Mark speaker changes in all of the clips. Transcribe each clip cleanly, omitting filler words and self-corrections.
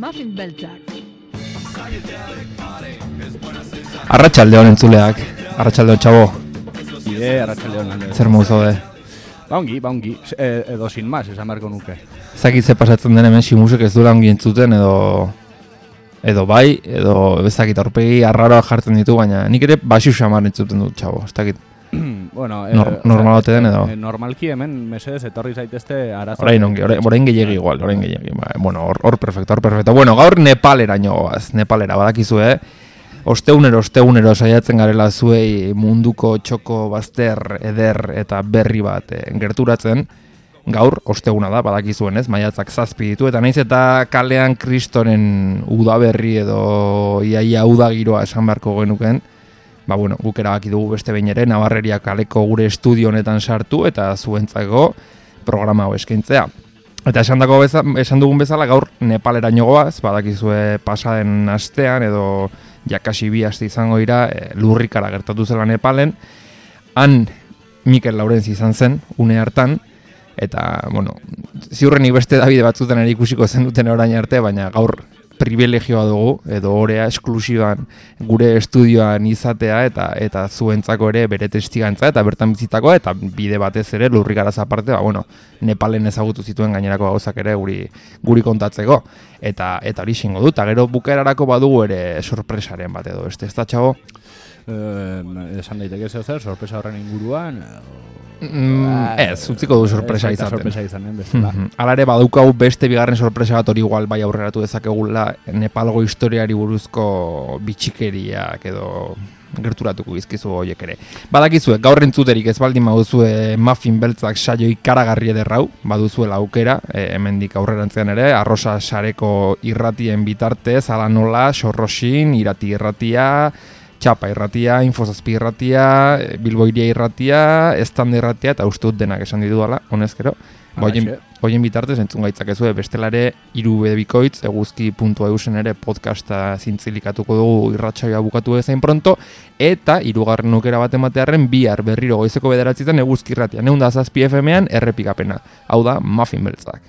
Speaker 1: Muffin beltzak.
Speaker 2: Arratsaldeon entzuleak, arratsaldeon txabo.
Speaker 3: Arratsaldeon.
Speaker 2: Zer modu zaude?
Speaker 3: Ongi, edo sin más, esan beharko nuke.
Speaker 2: Zakit ze pasatzen den hemen Simusek ez duela ongi entzuten edo bai, edo ezakit aurpegi arraroa jartzen ditu, baina nik ere baixu xamar entzuten dut txabo, ez dakit.
Speaker 3: Bueno,
Speaker 2: normalote den edo?
Speaker 3: Normalki hemen, mesedez, etorri zaitezte arazo.
Speaker 2: Orain gehiagi igual, Bueno, hor perfecto. Bueno, gaur Nepaleraino goaz, Nepalera, badakizue, Ostegunero saiatzen garela zuei munduko txoko bazter, eder eta berri bat gerturatzen. Gaur, osteguna da, badakizuen ez, maiatzak 7 ditu, eta naiz eta kalean kristoren udaberri edo iaia udagiroa esan beharko genuken, guk erabaki dugu beste behin ere, Nabarreria kaleko gure estudio honetan sartu eta zuentzako programa hau eskaintzea. Eta esan dugun bezala gaur Nepaleraino goaz, badakizue pasaden astean edo jakasi 2 aste izango dira lurrikara gertatu zela Nepalen. Han Mikel Laurentz izan zen, une hartan, eta, ziurrenik beste Davide batzutan ere ikusiko zen duten orain arte, baina gaur privilegioa dugu, edo orea esklusiban gure estudioan izatea, eta zuentzako ere bere testigantza, eta bertan bizitakoa, eta bide batez ere lurrikaraz aparte, Nepalen ezagutu zituen gainerako gauzak ere guri kontatzeko. Eta hori xingo dut, eta gero bukaerarako badugu ere sorpresaren bat edo, ez da txago?
Speaker 3: Esan daiteke zer, sorpresa horren inguruan...
Speaker 2: Ez, utziko du sorpresa izaten.
Speaker 3: Sorpresa izanen bezala.
Speaker 2: Hala ere badaukagu beste bigarren sorpresa bat hori igual bai aurreratu dezakegula Nepalgo historiari buruzko bitxikeriak edo gerturatuko bizkizu horiek ere. Badakizue, gaur entzuterik ez baldin baduzue Muffin beltzak saio ikaragarri ederrau, baduzuela aukera, hemendik aurrerantzean ere, Arrosa sareko irratien bitartez, ala nola, Sorrosin, Irati irratia, Txapa irratia, Infozazpi irratia, Bilbo iria irratia, Estande irratia, eta uste dut denak esan ditu dala, honezkero. Hoien bitartez entzun gaitzakezue bestelare 3 bikoitz, eguzki.eusen ere podcasta zintzilikatuko dugu irratsaioa bukatu bezain pronto, eta 3. aukera bat ematearren bihar berriro goizeko 9 eguzki irratia, 107 FM-ean errepikapena. Hau da, Muffin beltzak.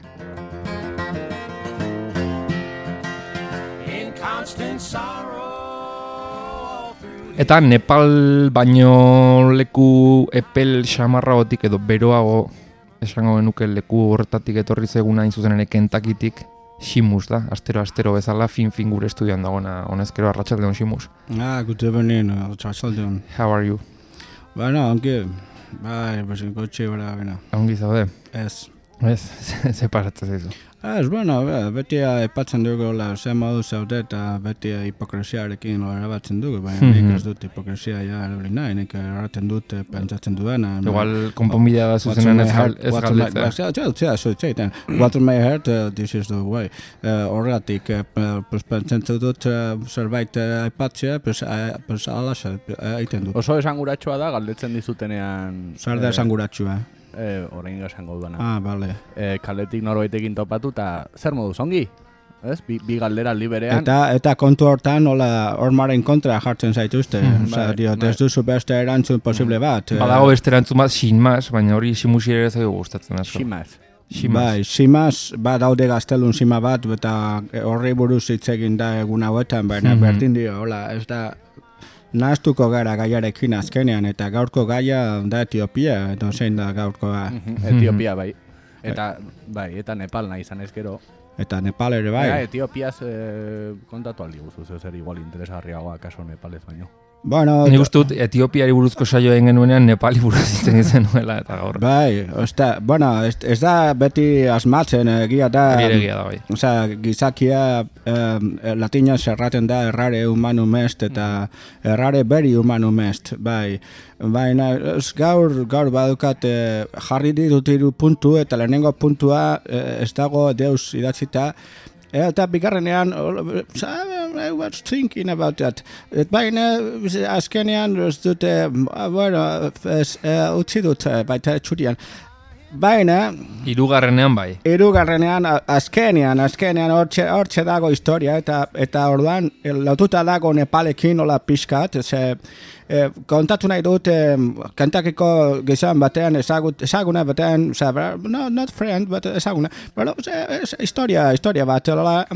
Speaker 2: Eta Nepal baino leku epel xamarragotik edo beroago esango genuke leku horretatik etorri zeguna zuzen ere Kentakitik Simus da, astero bezala fin gure estudioan dagoena, honezkero arratsaldeon Simus.
Speaker 4: Good evening, arratsaldeon.
Speaker 2: How are you?
Speaker 4: Ongi. Gotxe bera.
Speaker 2: Ongi zaude?
Speaker 4: Ez.
Speaker 2: Ze pasatzen zaizu?
Speaker 4: Beti aipatzen dugu ze modu zaude eta beti hipokresiarekin erabatzen dugu, baina nik ez dut hipokresia erabili nahi, nik erraten dut pentsatzen duena.
Speaker 2: Igual konponbidea da zuzenean ez
Speaker 4: galdetzen. What in my heart, this is the way. Horregatik, pentsatzen dut zerbait aipatzea, alaxa egiten dut.
Speaker 3: Oso esanguratsua da galdetzen dizutenean...
Speaker 4: Zer da esanguratsua?
Speaker 3: Orain esango duana.
Speaker 4: Bale.
Speaker 3: Kaletik norbaitekin topatu eta zer moduz, ongi? Ez? Bi galdera liberean.
Speaker 4: Eta kontu hortan hormaren kontra jartzen zaituzte. Ez duzu beste erantzun posible bat.
Speaker 2: Badago beste erantzun bat, Simas, baina hori Simusi ere zaigu gustatzen asko.
Speaker 4: Simas, daude gaztelun sima bat, eta horri buruz hitz egin da egun hauetan, baina berdin dio, ez da... Nahaztuko gara gaiarekin azkenean, eta gaurko gaia da Etiopia, edo zein da gaurkoa.
Speaker 3: Etiopia bai. Eta Nepal nahi izan ezkero.
Speaker 4: Eta Nepal ere bai.
Speaker 3: Etiopiaz kontatu aldi guztu, zer igual interesgarriagoa kaso Nepalez baino.
Speaker 2: Nik uste dut Etiopiari buruzko saioa egin genuenean Nepali buruz izan izan nuela eta gaur.
Speaker 4: Ez da beti asmatzen, egia da...
Speaker 2: bai.
Speaker 4: Gizakia latinaz erraten da errare humanum est eta errare beri humanum est, bai. Baina gaur badukat jarri ditut 3 puntu eta lehenengo puntua ez dago deus idatzita. Eta bigarrenean, I was thinking about that. Baina azkenean ez dute, utzi dut baita txurian. baina
Speaker 2: Hirugarrenean bai.
Speaker 4: Hirugarrenean, azkenean hortxe dago historia, eta orduan lotuta dago Nepalekin nola pixkat, kontatu nahi dut Kentuckiko gizon batean ezaguna batean, no, not friend, but ezaguna, bueno, historia bat,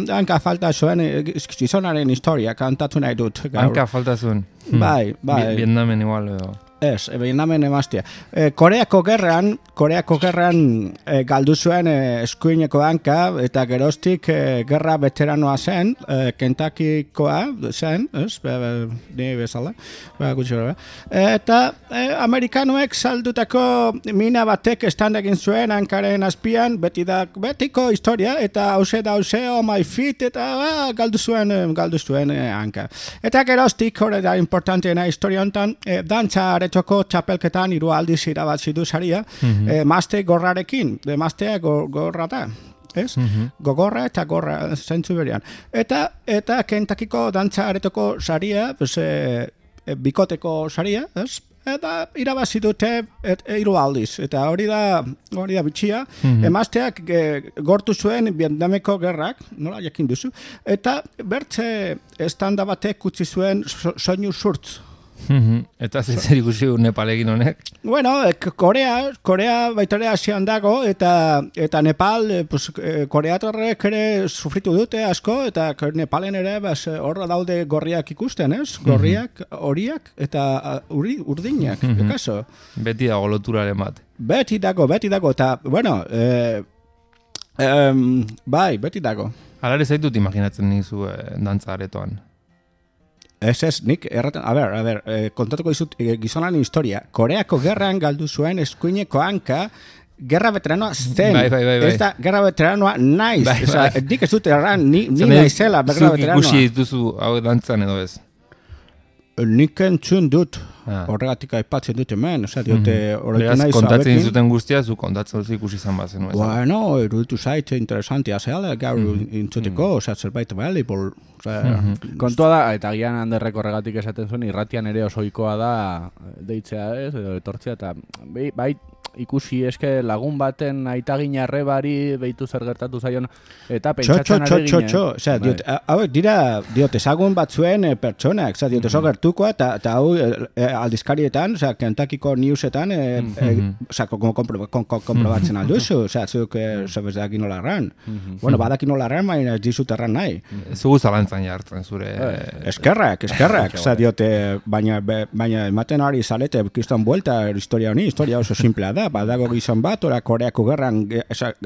Speaker 4: hanka falta zuen gizonaren historia kantatu nahi dut.
Speaker 2: Hanka falta zuen.
Speaker 4: Bai.
Speaker 2: Vietnamen igual edo.
Speaker 4: Ez, Vietnamen emaztia. Koreako gerran galdu zuen eskuineko hanka, eta geroztik gerra veteranoa zen, Kentuckikoa zen, ez, ni bezala, gutxi gara. Eta amerikanoek saldutako mina batek estand egin zuen hankaren azpian, betiko historia, eta hause, oh my feet, eta galdu zuen hanka. Eta geroztik, hori da importanteena historia honetan, dantza aretoko txapelketan 3 aldiz irabazi du saria, mazte gorrarekin, maztea gorra da. Ez? Gogorra eta gorra zentzu berian. Eta Kentuckiko dantza aretoko saria, bikoteko saria, ez? Eta irabazi dute 3 aldiz. Eta hori da bitxia. Emazteak gortu zuen Vietnameko gerrak, nola jakin duzu, eta bertze estanda batek utzi zuen soinu surtz.
Speaker 2: Eta zer ikusi Nepalekin honek?
Speaker 4: Bueno, Korea baitare Asian dago, eta Nepal, koreatorrek ere sufritu dute asko, eta Nepalen ere horra daude gorriak ikusten, ez? Gorriak, horiak, eta urdinak, kaso.
Speaker 2: Beti dago loturaren bat.
Speaker 4: Beti dago, eta, bueno, bai, beti dago.
Speaker 2: Alare zaitut imaginatzen nizu dantza aretoan.
Speaker 4: Ez, nik erraten, a ber, kontatuko dizut gizonaren historia. Koreako gerran galdu zuen eskuineko hanka, gerra veteranoa zen.
Speaker 2: Bai.
Speaker 4: Ez da, gerra veteranoa naiz. Nik ez dut erran, ni naizela gerra veteranoa.
Speaker 2: Zuk ikusi dituzu hau dantzan edo ez?
Speaker 4: Nik entzun dut, horregatik aipatzen dut hemen, diote horretu nahi
Speaker 2: kontatzen zuten guztia, zu kontatzen dut ikusi izan bazen.
Speaker 4: Bueno, eruditu zaite interesantia zehala, gaur intzuteko, zerbait valuable.
Speaker 3: Kontua da, eta gian Anderrek horregatik esaten zuen, irratian ere osoikoa da deitzea ez, edo etortzea, eta bai ikusi eske lagun baten aitagin arrebari behitu zer gertatu zaion, eta pentsatzen ari ginen.
Speaker 4: Hauek dira, ezagun batzuen pertsonak, oso gertukoa, eta hau aldizkarietan, Kentuckiko newsetan, komprobatzen alduzu, zuk zebezakin nola erran. Bueno, badakin nola erran, baina ez dizut erran nahi.
Speaker 2: Zugu zalantzan jartzen zure...
Speaker 4: Eskerrak, baina ematen ari zalete kiston buelta historia honi, historia oso simplea da, badago gizon bat, ora Koreako gerran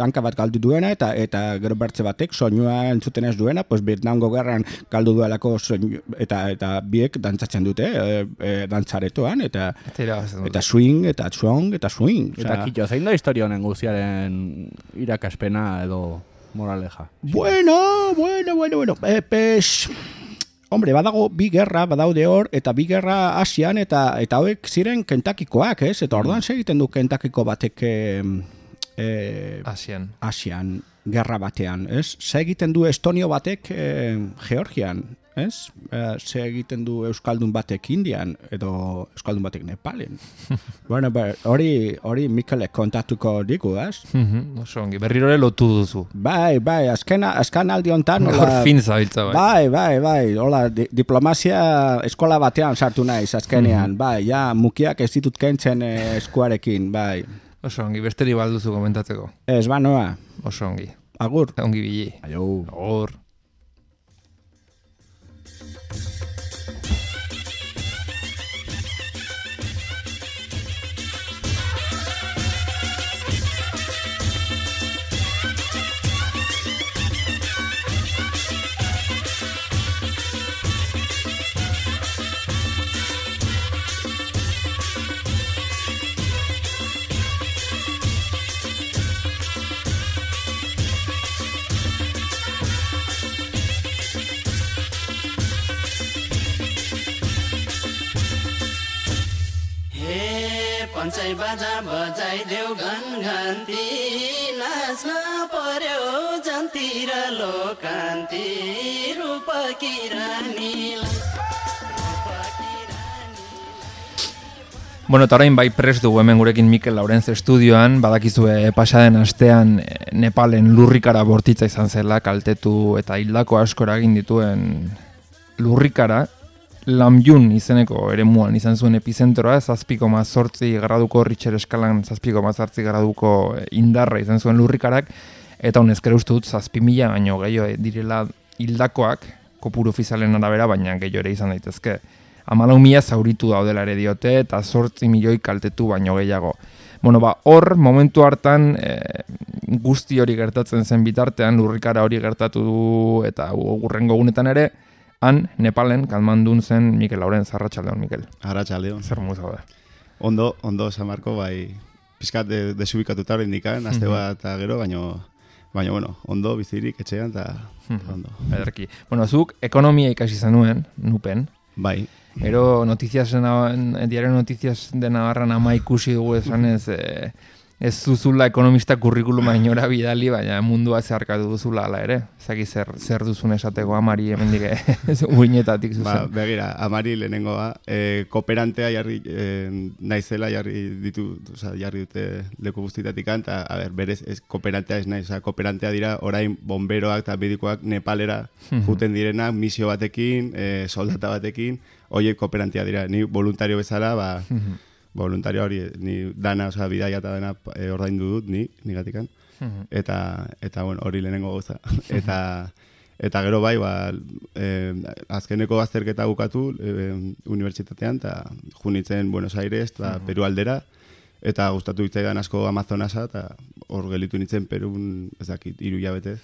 Speaker 4: hanka bat galdu duena, eta gero bertze batek soinua entzuten ez duena, pues Vietnamgo gerran galdu duelako soinu, eta biek dantzatzen dute, dantzaretoan, eta swing, eta swing.
Speaker 3: Eta kito, zein da historia honen guztiaren irakaspena edo moraleja?
Speaker 4: Bueno. Hombre, badago bi gerra, badaude hor, eta bi gerra Asian, eta hauek ziren Kentuckikoak, ez? Eta orduan segiten du Kentuckiko batek Asian, gerra batean, ez? Segiten du Estonio batek Georgian, ez? Segiten du Euskaldun batek Indian, edo Euskaldun batek Nepalen. Bueno, hori Mikelek kontatuko digu, ez?
Speaker 2: Oso ongi, berrirore lotu duzu.
Speaker 4: Bai, azken aldi hontan...
Speaker 2: Hor fin zabiltza,
Speaker 4: bai. Bai, hola, diplomazia eskola batean sartu naiz, azkenean, bai, ja, mukiak ez ditut kentzen eskuarekin, bai.
Speaker 2: Oso ongi, besteri balduzu komentatzeko.
Speaker 4: Ez, noa.
Speaker 2: Oso ongi.
Speaker 4: Agur.
Speaker 2: Ongi bili. Agur.
Speaker 5: पञ्चै बाजा बजाइदेऊ घनघन्ती नाच्न पर्यो जन्तिर लोकान्ती रूपकी रानीलाई
Speaker 2: Bueno, eta orain bai prest dugu hemen gurekin Mikel Laurentz estudioan, badakizue pasaden astean Nepalen lurrikara bortitza izan zela, kaltetu eta hildako asko eragin dituen lurrikara, Lamjun izeneko eremuan izan zuen epizentroa, 7,8 graduko Richter eskalan 7,8 graduko indarra izan zuen lurrikarak, eta honezkero uste dut 7.000 baino gehiago direla hildakoak, kopuru ofizialen arabera, baina gehiago ere izan daitezke. 14.000 zauritu daudela ere diote, eta 8 milioi kaltetu baino gehiago. Bueno, hor, momentu hartan, guzti hori gertatzen zen bitartean, lurrikara hori gertatu du, eta gurrengo gunetan ere, han, Nepalen, Katmandun zen Mikel Laurentz. Arratsaldeon, Mikel.
Speaker 6: Arratsaldeon.
Speaker 2: Zer moz da?
Speaker 6: Ondo, Samarko, bai, pizkat desubikatuta hori indikan, azte bat eta gero, baina, bueno, ondo, bizirik, etxean, eta ondo.
Speaker 2: Ederki. Bueno, zuk, ekonomia ikasi zenuen, nupen.
Speaker 6: Bai.
Speaker 2: Ero, diario Noticias de Navarran ama ikusi dugu esanez, ez zuzula ekonomista kurrikuluma inora bidali, baina mundua zeharkatu duzula ala ere. Zaki zer duzun esateko amari hemendik uinetatik zuzen.
Speaker 6: Ba, begira, amari lehenengoa, kooperantea naizela jarri dute leku guztitatik eta, berez, kooperantea ez naiz, kooperantea dira orain bomberoak eta medikoak Nepalera juten direnak, misio batekin, soldata batekin, horiek kooperantea dira, ni voluntario bezala, voluntario hori, ni dana, bidaia eta dana ordaindu dut, nigatikan. Eta bueno, hori lehenengo gauza. Eta gero bai, azkeneko azterketa bukatu unibertsitatean, eta junitzen Buenos Aires, eta Peru aldera, eta gustatu hitzaidan asko Amazonasa, eta hor gelitu nintzen Perun, ez dakit, 3 hilabetez,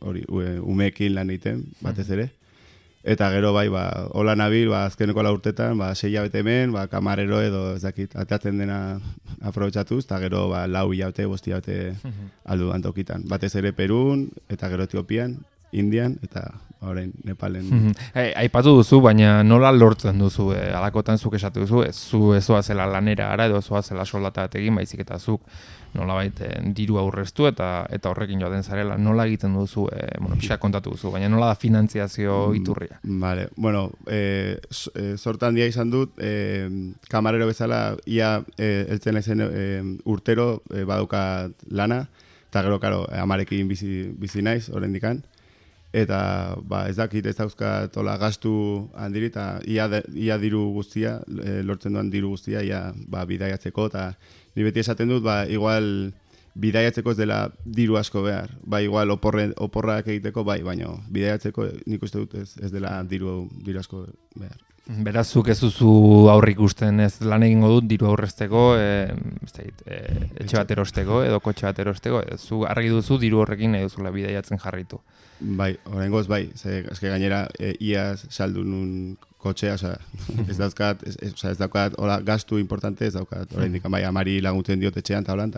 Speaker 6: hori, umeekin lan egiten, batez ere. Eta gero bai, hola nabil, azkeneko 4 urtetan, 6 hilabete hemen, kamarero edo, ez dakit, ateatzen dena aprobetxatuz, eta gero 4 hilabete, 5 hilabete aldu antokitan. Batez ere Perun, eta gero Etiopian, Indian, eta orain Nepalen.
Speaker 2: Aipatu duzu, baina nola lortzen duzu, alakotan zuk esatu duzu, ez zela lanera ara, edo zela soldata egin, baizik eta zuk nolabait diru aurreztu eta horrekin joaten zarela. Nola egiten duzu, pixka kontatu duzu, baina nola da finantziazio iturria?
Speaker 6: Vale, bueno, sorta handia izan dut, kamarero bezala, ia eltzen naizen urtero badauka lana, eta gero, karo, amarekin bizi naiz, oraindikan. Eta ez dakit ez dauzkat gastu handiri, eta ia diru guztia, lortzen duan diru guztia, ia bidaiatzeko, eta ni beti esaten dut, igual bidaiatzeko ez dela diru asko behar. Igual oporrak egiteko, baina bidaiatzeko nik uste dut ez dela diru asko behar.
Speaker 2: Beraz, zuk ez duzu aurrik ikusten, ez lan egingo dut diru aurrezteko, etxe bat erosteko edo kotxe bat erosteko, zu argi duzu diru horrekin nahi duzula bidaiatzen jarritu.
Speaker 6: Bai, oraingoz bai, eske gainera iaz saldu nun kotxea, ez daukat gastu importante, ez daukat oraindik bai amari laguntzen diot etxean ta holan,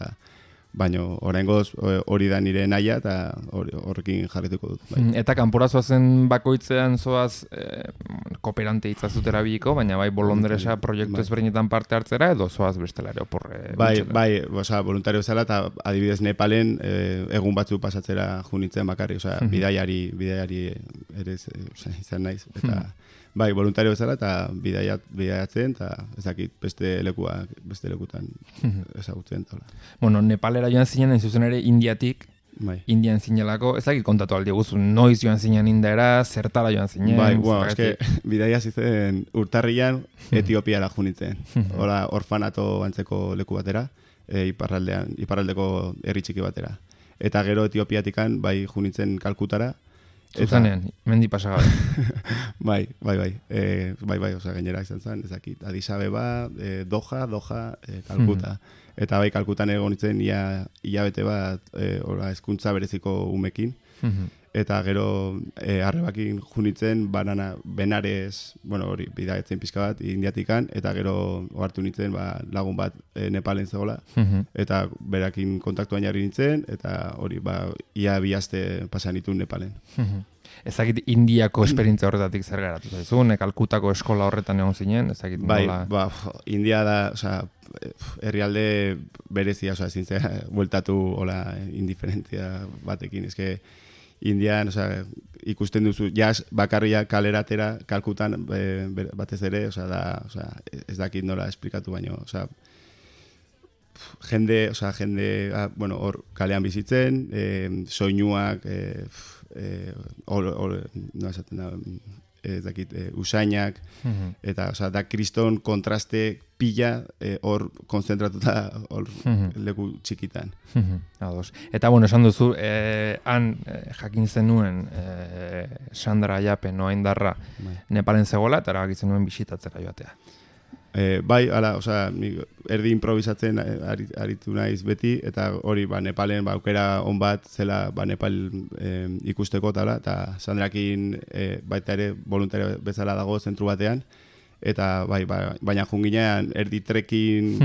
Speaker 6: baina oraingoz hori da nire naia eta horrekin jarrituko dut. Bai.
Speaker 2: Eta kanpora zoazen bakoitzean zoaz kooperante hitzazut erabiliko, baina bai bolondresa proiektu ezberdinetan parte hartzera edo zoaz bestela ere oporre?
Speaker 6: Bai, voluntario bezala eta adibidez Nepalen egun batzu pasatzera junitzen bakarri, bidaiari ere izan naiz, eta bai, voluntario bezala eta bidaiatzen, eta ez dakit beste lekutan ezagutzen.
Speaker 2: Bueno, Nepalera joan zinen, hain zuzen ere Indiatik, Indian zinelako, ez dakit kontatu aldi guzu, noiz joan zinen Indiara, zertara joan zinen?
Speaker 6: Bai, eske bidaia zizen urtarrian Etiopiara junitzen. Hola, orfanato antzeko leku batera, iparraldeko herri txiki batera. Eta gero Etiopiatikan bai junitzen Kalkutara,
Speaker 2: Zuzenean, mendi pasagabe.
Speaker 6: Bai, gainera izan zen, ezakit, Addis Abeba, Doha, Kalkuta. Eta bai, Kalkutan egon nintzen hilabete bat hezkuntza bereziko umekin. Eta gero arrebakin junitzen Benares, hori, bidaiatzen pixka bat, Indiatikan, eta gero ohartu nintzen lagun bat Nepalen zegoela, eta berakin kontaktuan jarri nintzen, eta hori, ia 2 aste pasan ditun Nepalen.
Speaker 2: Ezakit Indiako esperientzia horretatik zer garatu zaizun, Kalkutako eskola horretan egon zinen, ezakit nola...
Speaker 6: Bai, India da, herrialde berezia, ezin zera, bueltatu indiferentzia batekin, eske Indian, osea, ikusten duzu, jazz bakarria kaleratera, Kalkutan batez ere, osea, ez dakit nola esplikatu baino, osea, jende, bueno, hor kalean bizitzen, soinuak, no esaten da, ez dakit, usainak, eta, osea, da kriston kontraste pila hor konzentratuta hor leku txikitan.
Speaker 2: Ados. Eta, bueno, esan duzu, han jakin zenuen Sandra Ayape, Noa Indarra, Nepalen zegoela, eta erabakitzen nuen bisitatzera joatea.
Speaker 6: Bai, ala, osea, erdi improvisatzen aritu naiz beti, eta hori, Nepalen aukera on bat zela Nepal ikusteko tala, eta Sandrakin baita ere voluntario bezala dago zentru batean, eta baina junginean erdi trekin,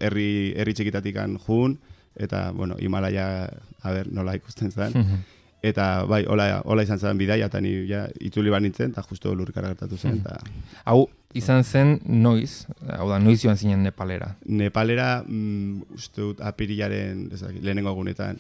Speaker 6: herri txikitatikan jun, eta, Himalaya, nola ikusten zen. Eta hola izan zen bidaia, eta ni itzuli nintzen, eta justo lurrikara gertatu zen.
Speaker 2: Hau, izan zen noiz, hau da, noiz joan zinen Nepalera?
Speaker 6: Nepalera, uste dut, apirilaren lehenengo egunetan.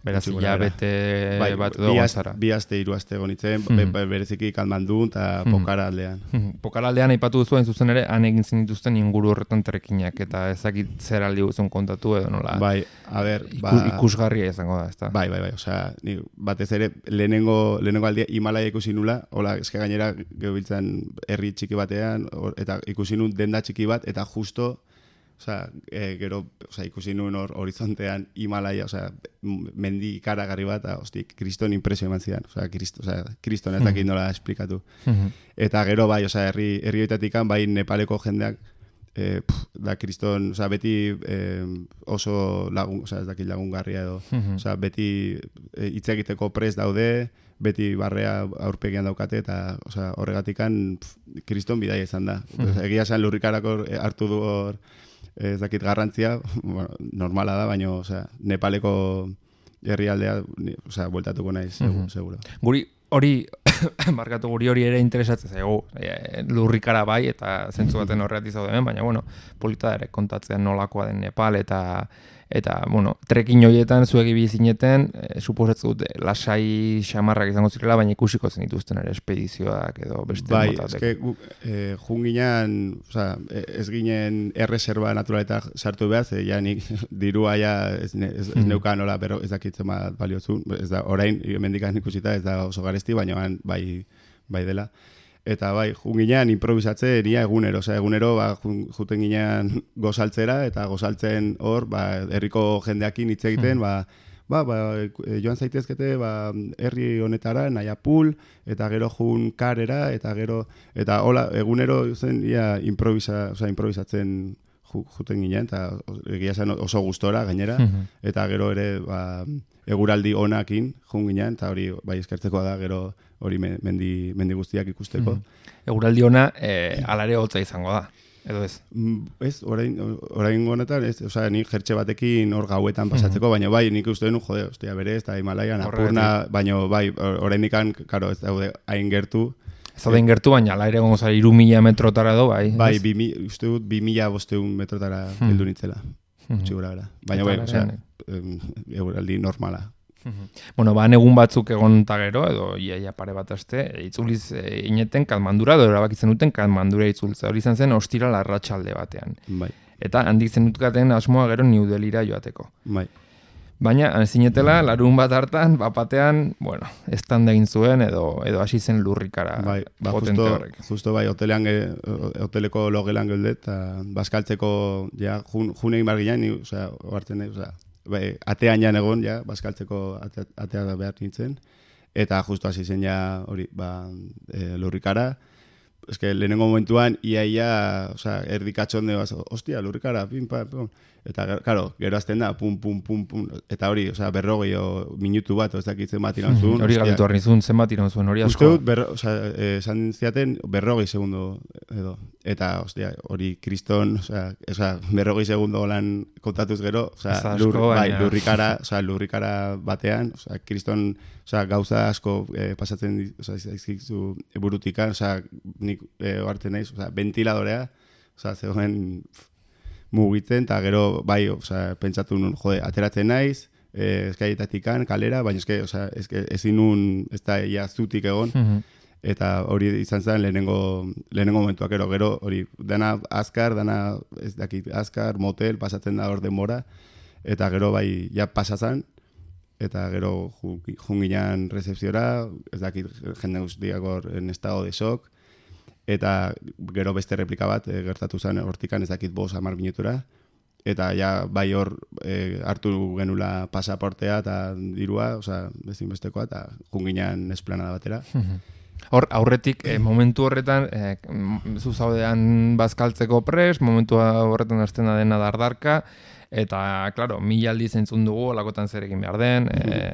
Speaker 2: Beraz, hilabete bat edo gonzara.
Speaker 6: 2 aste, 3 aste gonitzen, bereziki Katmandun eta Pokhara aldean.
Speaker 2: Pokhara aldean aipatu duzu, zuzen ere, han egin zinituzten inguru horretan trekinak, eta ezakit zer aldi guzun kontatu edo nola.
Speaker 6: Bai, a ber,
Speaker 2: ikusgarria izango da, ezta?
Speaker 6: Bai, osea, batez ere, lehenengo aldia Himalaya ikusi nula, hola, eske gainera gebiltzan herri txiki batean, eta ikusi nun denda txiki bat, eta justo, gero, ikusi nun horizontean Himalaya, mendi ikaragarri bat, eta, kriston impresio eman zidan, kriston ez dakit nola esplikatu. Eta gero, bai, herri hoitatikan, bai, Nepaleko jendeak, da kriston, beti oso lagun, ez dakit lagungarria edo, beti hitz egiteko prest daude, beti barrea aurpegian daukate, eta horregatikan kriston bidaia izan da. Egia esan lurrikarako hartu du hor, ez dakit garrantzia, normala da, baina Nepaleko herrialdea, bueltatuko naiz, seguro.
Speaker 2: Guri hori ere interesatzen zaigu, lurrikara bai, eta zentzu baten horreati zaude, baina, polita ere kontatzen nolakoa den Nepal, eta trekin horietan zuek ibili zineten, suposatzen dute lasai xamarrak izango zirela, baina ikusiko zen dituzten ere espedizioak edo beste motatek.
Speaker 6: Bai, junginan, ez ginen erreserba naturaleta sartu behar, ja nik dirua ez neukan nola, pero ez dakitzen bat baliozun, ez da, orain, mendikan ikusita, ez da oso garesti, baina bai dela. Eta bai, junginean improvisatzen ia egunero, juten ginean gozaltzera, eta gozaltzen hor, herriko jendeakin hitz egiten, joan zaitezkete, herri honetara, Nayapul, eta gero jun karera, eta hola, egunero zen ia improvisatzen juten ginean, eta egia zen oso gustora gainera, eta gero ere eguraldi onakin jun ginean, eta hori eskertzekoa da gero hori mendi guztiak ikusteko.
Speaker 2: Eguraldi ona alare hotza izango da, edo ez?
Speaker 6: Ez, orain honetan, nik jertxe batekin hor gauetan pasatzeko, baina bai, nik uste denu, berez, eta Himalaian apurna, baina bai, orain nikan, karo, ez daude hain gertu.
Speaker 2: Ez daude gertu, baina ala ere gongo zari 3.000 metrotara edo, bai?
Speaker 6: Bai, uste dut 2.500 metrotara heldu nintzela, txigura gara. Baina bai, eguraldi normala.
Speaker 2: Han egun batzuk egon eta gero, edo iaia pare bat aste, itzuliz ineten Katmandura, edo erabakitzen duten Katmandura itzultza. Hori izan zen ostiral arratsalde batean.
Speaker 6: Bai.
Speaker 2: Eta handik zenutkaten asmoa gero New Delhira joateko.
Speaker 6: Bai.
Speaker 2: Baina, zinetela, larun bat hartan, bapatean, estanda egin zuen, edo hasi zen lurrikara potente horrek.
Speaker 6: Justo bai, hoteleko logelan geudet, eta bazkaltzeko, jun egin bar ginean, oartzen atean jan egon, bazkaltzeko atea behar nintzen, eta justo hasi zen hori, lurrikara. Ez que lehenengo momentuan, ia, erdikatxonde, ostia, lurrikara, pim, pam, eta, karo, gero azten da, pum, eta hori, 40 minutu bat, ez dakitzen bat iran zuen.
Speaker 2: Hori galdetu harri zuen, zen bat iran zuen, hori asko.
Speaker 6: Uste dut, esan ziaten, 40 segundo edo, eta, ostia, hori kriston, 40 segundo lan kontatuz gero, lurrikara batean, kriston, gauza asko pasatzen zaizkizu burutikan, nik hartzen naiz, ventiladorea, zegoen mugitzen, eta gero, bai, pentsatu nun, ateratzen naiz, eskaietatikan, kalera, baina ezin nun, ez da ia zutik egon, eta hori izan zen lehenengo momentuak, gero hori, dana azkar, dana ez dakit, azkar, motel, pasatzen da hor denbora, eta gero bai, ja pasazan, eta gero junginan rezepziora, ez dakit, jende guztiak hor en estado de shock, eta gero beste replika bat, gertatu zen hortikan ez dakit 5-10 minutura, eta ja bai hor hartu genula pasaportea eta dirua, bezinbestekoa, eta junginan esplanada batera.
Speaker 2: Hor, aurretik, momentu horretan, zu zaudean bazkaltzeko prest, momentu horretan hasten da dena dardarka, eta, klaro, 1000 aldiz entzun dugu, olakotan zer egin behar den,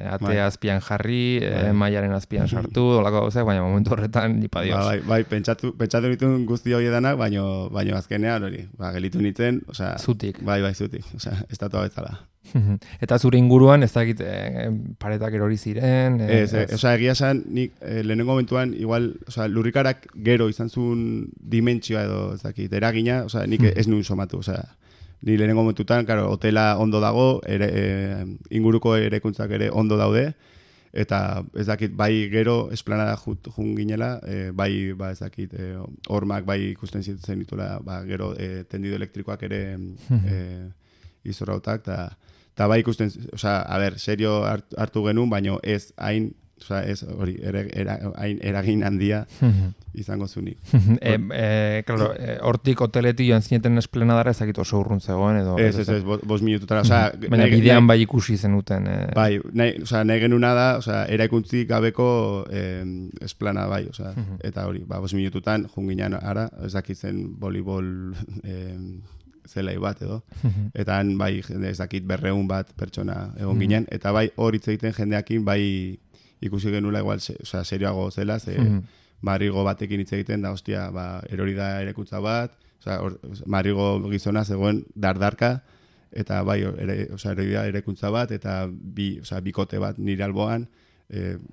Speaker 2: atea azpian jarri, mailaren azpian sartu, olako gauzak, baina momentu horretan, nipa dios.
Speaker 6: Bai, pentsatu nituen guzti hori danak, baina azkenean hori, gelitu nintzen,
Speaker 2: zutik.
Speaker 6: Bai, zutik, estatua betzala.
Speaker 2: Eta zure inguruan, ez dakit, paretak erori ziren?
Speaker 6: Egia esan, nik lehenengo momentuan, igual, lurrikarak gero izan zuen dimentsioa edo, ez dakit, eragina, nik ez nuen somatu, ni lehenengo momentutan, claro, hotela ondo dago, inguruko erekuntzak ere ondo daude, eta ez dakit, bai gero esplanada jun ginela, bai, ez dakit, hormak bai ikusten zen ditula, gero tendido elektrikoak ere izorrautak, eta bai ikusten, serio hartu genuen, baino ez hain, ez hori, hain eragin handia izango zunik.
Speaker 2: Claro, hortik hoteletik joan zineten esplanadara ezakit oso urrun zegoen edo...
Speaker 6: Ez, 5 minututara.
Speaker 2: Baina bidean bai ikusi zenuten.
Speaker 6: Bai, nahi genuna da, eraikuntzik gabeko esplanada bai, eta hori, 5 minututan junginan ara, ezakitzen volleyball zelai bat edo, eta han bai, ez dakit 200 bat pertsona egon ginen, eta bai hor hitz egiten jendeakin bai ikusi genula igual, serioago zela, Madrigo batekin hitz egiten da, hostia, erori da erekuntza bat, Madrigo gizona zegoen dardarka, eta bai, erori da erekuntza bat, eta bikote bat nire alboan,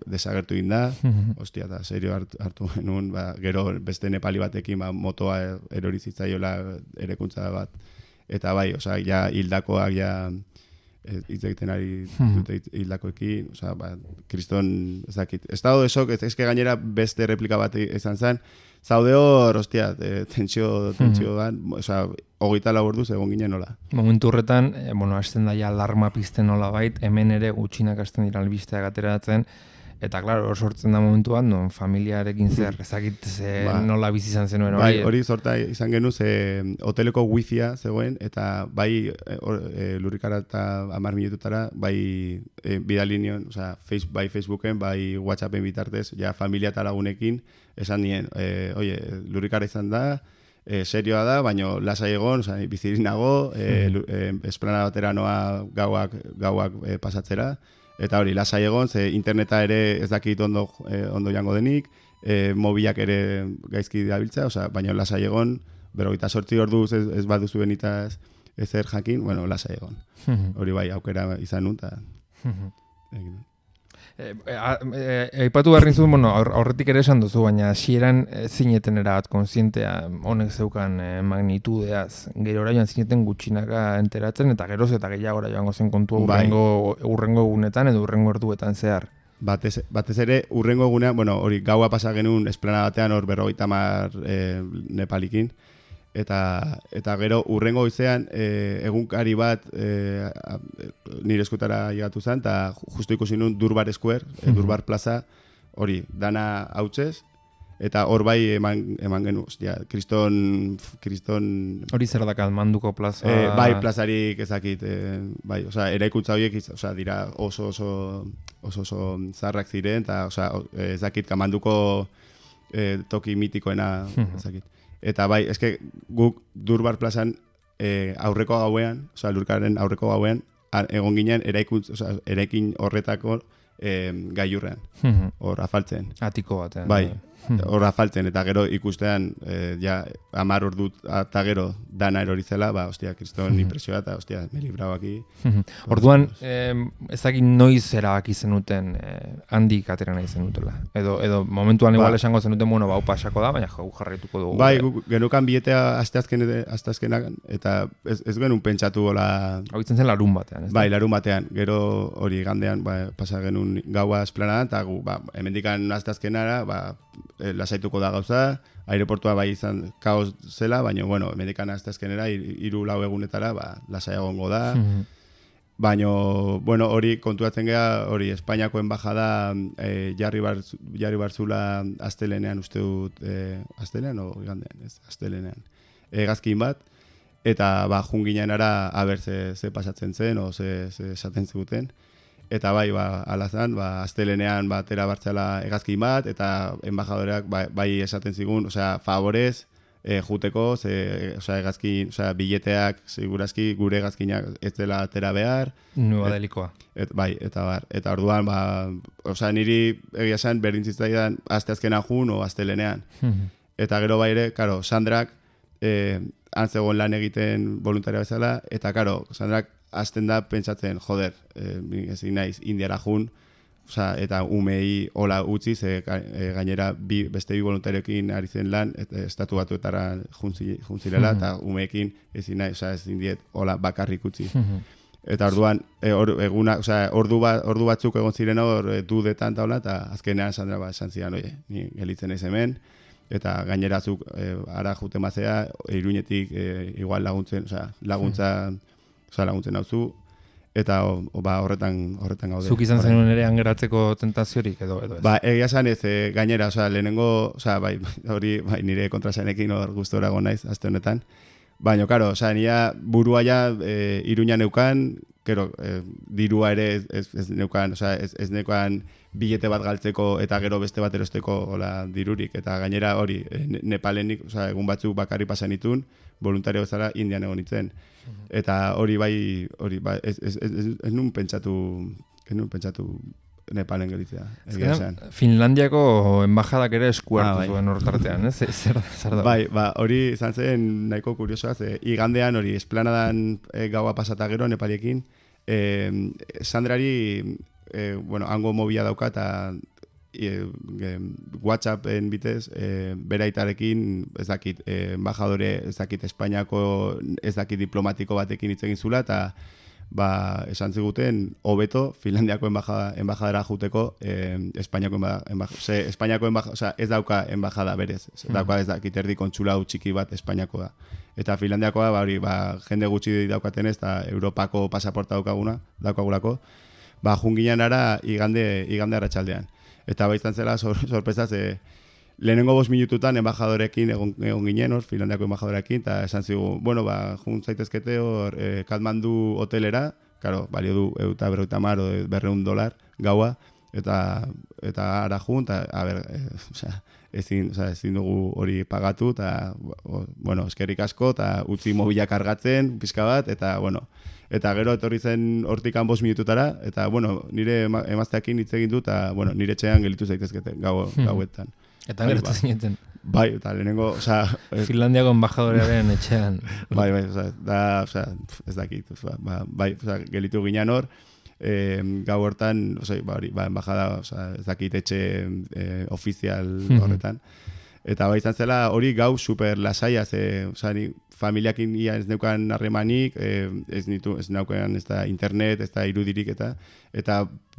Speaker 6: desagertu inda, hostia, eta serio hartu genuen, gero beste nepali batekin motoa erori zitzaiola erekuntza bat, eta bai, ja hildakoak ja hitz egiten ari dute hildakoekin, kriston, ez dakit. Estado de shock, ez gainera beste replika bat izan zen, zaude hor, hostia, tentsio ban, 24 orduz egon ginen nola.
Speaker 2: Momentu horretan, hasten daia alarma pizten nola bait, hemen ere gutxinak hasten dira albisteak ateratzen, eta, klaro, sortzen da momentuan, familiarekin zer, ezakit nola bizi izan zenuen hori.
Speaker 6: Bai, hori sorta izan genuz, hoteleko wifia zegoen, eta bai lurrikara eta 10 minututara, bai bidali nion, bai Facebooken, bai WhatsAppen bitartez, ja familia eta lagunekin, esan nien, oie, lurrikara izan da, serioa da, baina lasai egon, bizirinago, esplanada batera noa gauak pasatzera, eta hori, lasai egon, ze interneta ere ez dakit ondo jango denik, mobilak ere gaizki dabiltza, baina lasai egon, 48 orduz ez baduzu benitaz ezer jakin, lasai egon. Hori bai, aukera izan nun, eta...
Speaker 2: Aipatu behar nizun, aurretik ere esan duzu, baina hasieran zineten erabat konsientea honek zeukan magnitudeaz. Gero joan zineten gutxinaka enteratzen, eta geroz eta gehiagora joango zen kontua urrengo egunetan edo urrengo orduetan zehar.
Speaker 6: Batez ere, urrengo egunean, hori gaua pasa genuen esplanada batean hor 50 nepalikin, eta gero urrengo goizean egunkari bat nire eskutara llegatu zen, eta justu ikusi nun Durbar Square, Durbar Plaza, hori, dana hautzez, eta hor bai eman genu, ostia, kriston...
Speaker 2: Hori zer dakat, Manduko plaza...
Speaker 6: Bai, plazarik ezakit, bai, eraikuntza horiek dira oso zarrak ziren, eta ezakit, Manduko toki mitikoena ezakit. Eta bai, eske guk Durbar plazan aurreko gauean, lurkaren aurreko gauean, egon ginen eraikin horretako gailurrean, hor afaltzen.
Speaker 2: Atiko batean.
Speaker 6: Bai, horra faltzen, eta gero ikustean, ja, 10 ordu eta gero dana erori zela, ba, ostia, kriston impresioa, eta, ostia, me librau aquí.
Speaker 2: Orduan, ezagik noiz erabaki zenuten handik atera nahi zenutela. Edo momentuan igual esango zenuten, bueno, bau pasako da, baina jau jarraituko dugu.
Speaker 6: Bai, genukan billetea asteazkenak, eta ez genuen pentsatu gola...
Speaker 2: Hau itzen zen larun batean, ez da?
Speaker 6: Bai, larun batean, gero hori gandean, ba, pasa genuen gaua esplanadan, eta gu, ba, hemendikan asteazkenara, ba, lasaituko da gauza, aireportua bai izan kaos zela, baina, bueno, hemendikan asteazkenera, 3-4 egunetara, ba, lasai egongo da. Baina, bueno, hori kontuatzen gea, hori Espainiako embajada jarri barzula astelenean, uste dut, astelenean o igandean, ez, astelenean, hegazkin bat, eta ba, junginean ara aber ze pasatzen zen, o ze esaten ziguten. Eta bai, ba, alazan, ba, astelenean batera bartzela hegazkin bat, eta embajadoreak bai esaten zigun, osea, favorez, juteko, osea, hegazkin, osea, billeteak, segurazki, gure hegazkinak ez dela atera behar.
Speaker 2: Nueva delikoa.
Speaker 6: Bai, eta bar. Eta orduan, ba, osea, niri egia esan berdin zitzaidan asteazkenan jun o astelenean. Eta gero bai ere, karo, Sandrak, antzegoen lan egiten voluntaria bezala, eta karo, Sandrak hasten da pentsatzen, joder, ezin naiz Indiara jun, eta umei hola utzi, gainera beste bi voluntarioekin ari zen lan, estatu batuetara juntzilela, eta umeekin ezin naiz, ezin diet hola bakarrik utzi. Eta orduan, ordu batzuk egon ziren hor dudetan eta hola, eta azkenean Sandra esan zidan, oie, ni gelitzen ez hemen, eta gainerazuk ara juten bazea, Iruñetik igual laguntzen hauzu, eta ba, horretan gaude.
Speaker 2: Zuk izan zenuen ere angeratzeko tentaziorik edo ez?
Speaker 6: Ba, egia esan ez, gainera, lehenengo, bai, hori bai, nire kontrasanekin hor gustora naiz, aste honetan. Baina, karo, nia burua ja Iruña neukan, kero, dirua ere ez neukan, ez neukan billete bat galtzeko eta gero beste bat erosteko hola dirurik. Eta gainera hori, Nepalenik, egun batzuk bakarri pasan itun, voluntario bezala Indian egon nintzen. Eta hori bai, ez nun pentsatu Nepalen gelitzea.
Speaker 2: Finlandiako embajadak ere esku hartu zuen hortartean, ez? Zer da?
Speaker 6: Bai, hori izan zen nahiko kuriosoa, igandean hori esplanadan gaua pasata gero Nepaliekin, Sandrari, hango mobila dauka eta WhatsAppen bitez, beraitarekin, ez dakit, embajadore, ez dakit, Espainiako, ez dakit, diplomatiko batekin hitz egin zula, eta esan ziguten, hobeto, Finlandiako embajadara juteko, Espainiako embajada, ez dauka embajada berez, dauka ez dakit, erdi kontsulau txiki bat Espainiakoa. Eta Finlandiakoa, jende gutxi daukaten ez, eta Europako pasaporta daukagulako, junginan ara igande arratsaldean. Eta izan zela sorpresaz, lehenengo 5 minututan embajadorekin egon ginen, Finlandiako embajadorekin, eta esan zigu, jun zaitezkete hor Kathmandu hotelera, karo, balio du $250 gaua, eta ara jun, eta, ezin dugu hori pagatu, eta, eskerrik asko, eta utzi mobila kargatzen, pixka bat, eta gero etorri zen hortikan 5 minututara, eta, nire emazteakin hitz egin du, eta, nire etxean gelitu zaitezkete gauetan.
Speaker 2: Eta gero zineten.
Speaker 6: Bai, eta lehenengo,
Speaker 2: Finlandiako embajadorearen etxean.
Speaker 6: Bai, ez dakit, gelitu ginen hor, gau hortan, embajada, ez dakit etxe ofizial horretan. Eta izan zela hori gau super lasaia, familiakin ia ez neukan harremanik, ez neukan ez da internet, ez da irudirik eta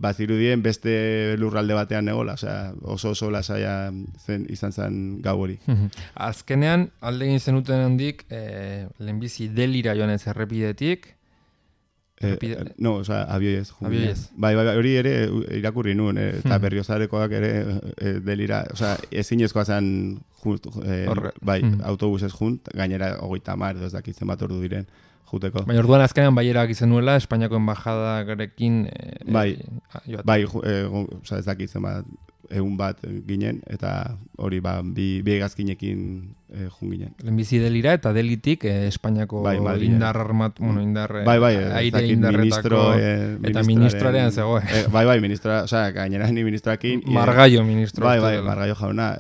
Speaker 6: bazirudien beste lurralde batean negola, oso lasaia izan zen gau hori.
Speaker 2: Azkenean, alde egin zenuten handik, lehenbizi Delira joan ez errepidetik,
Speaker 6: abioiez. Bai, hori ere irakurri nuen, eta berriozarekoak ere Delira, ezinezkoa zen autobusez junt, gainera 30 ez dakitzen bat ordu diren juteko.
Speaker 2: Baina orduan azkenean baierak izan nuela, Espainiako embajadagarekin
Speaker 6: ez dakitzen bat bat ginen, eta hori bi hegazkinekin jun ginen.
Speaker 2: Lehenbizi delira eta delitik Espainiako indar armat, aire indarretako eta ministroaren zegoen.
Speaker 6: Ministra, osea, gainera ni ministrakin
Speaker 2: Margallo ministro.
Speaker 6: Margallo jauna,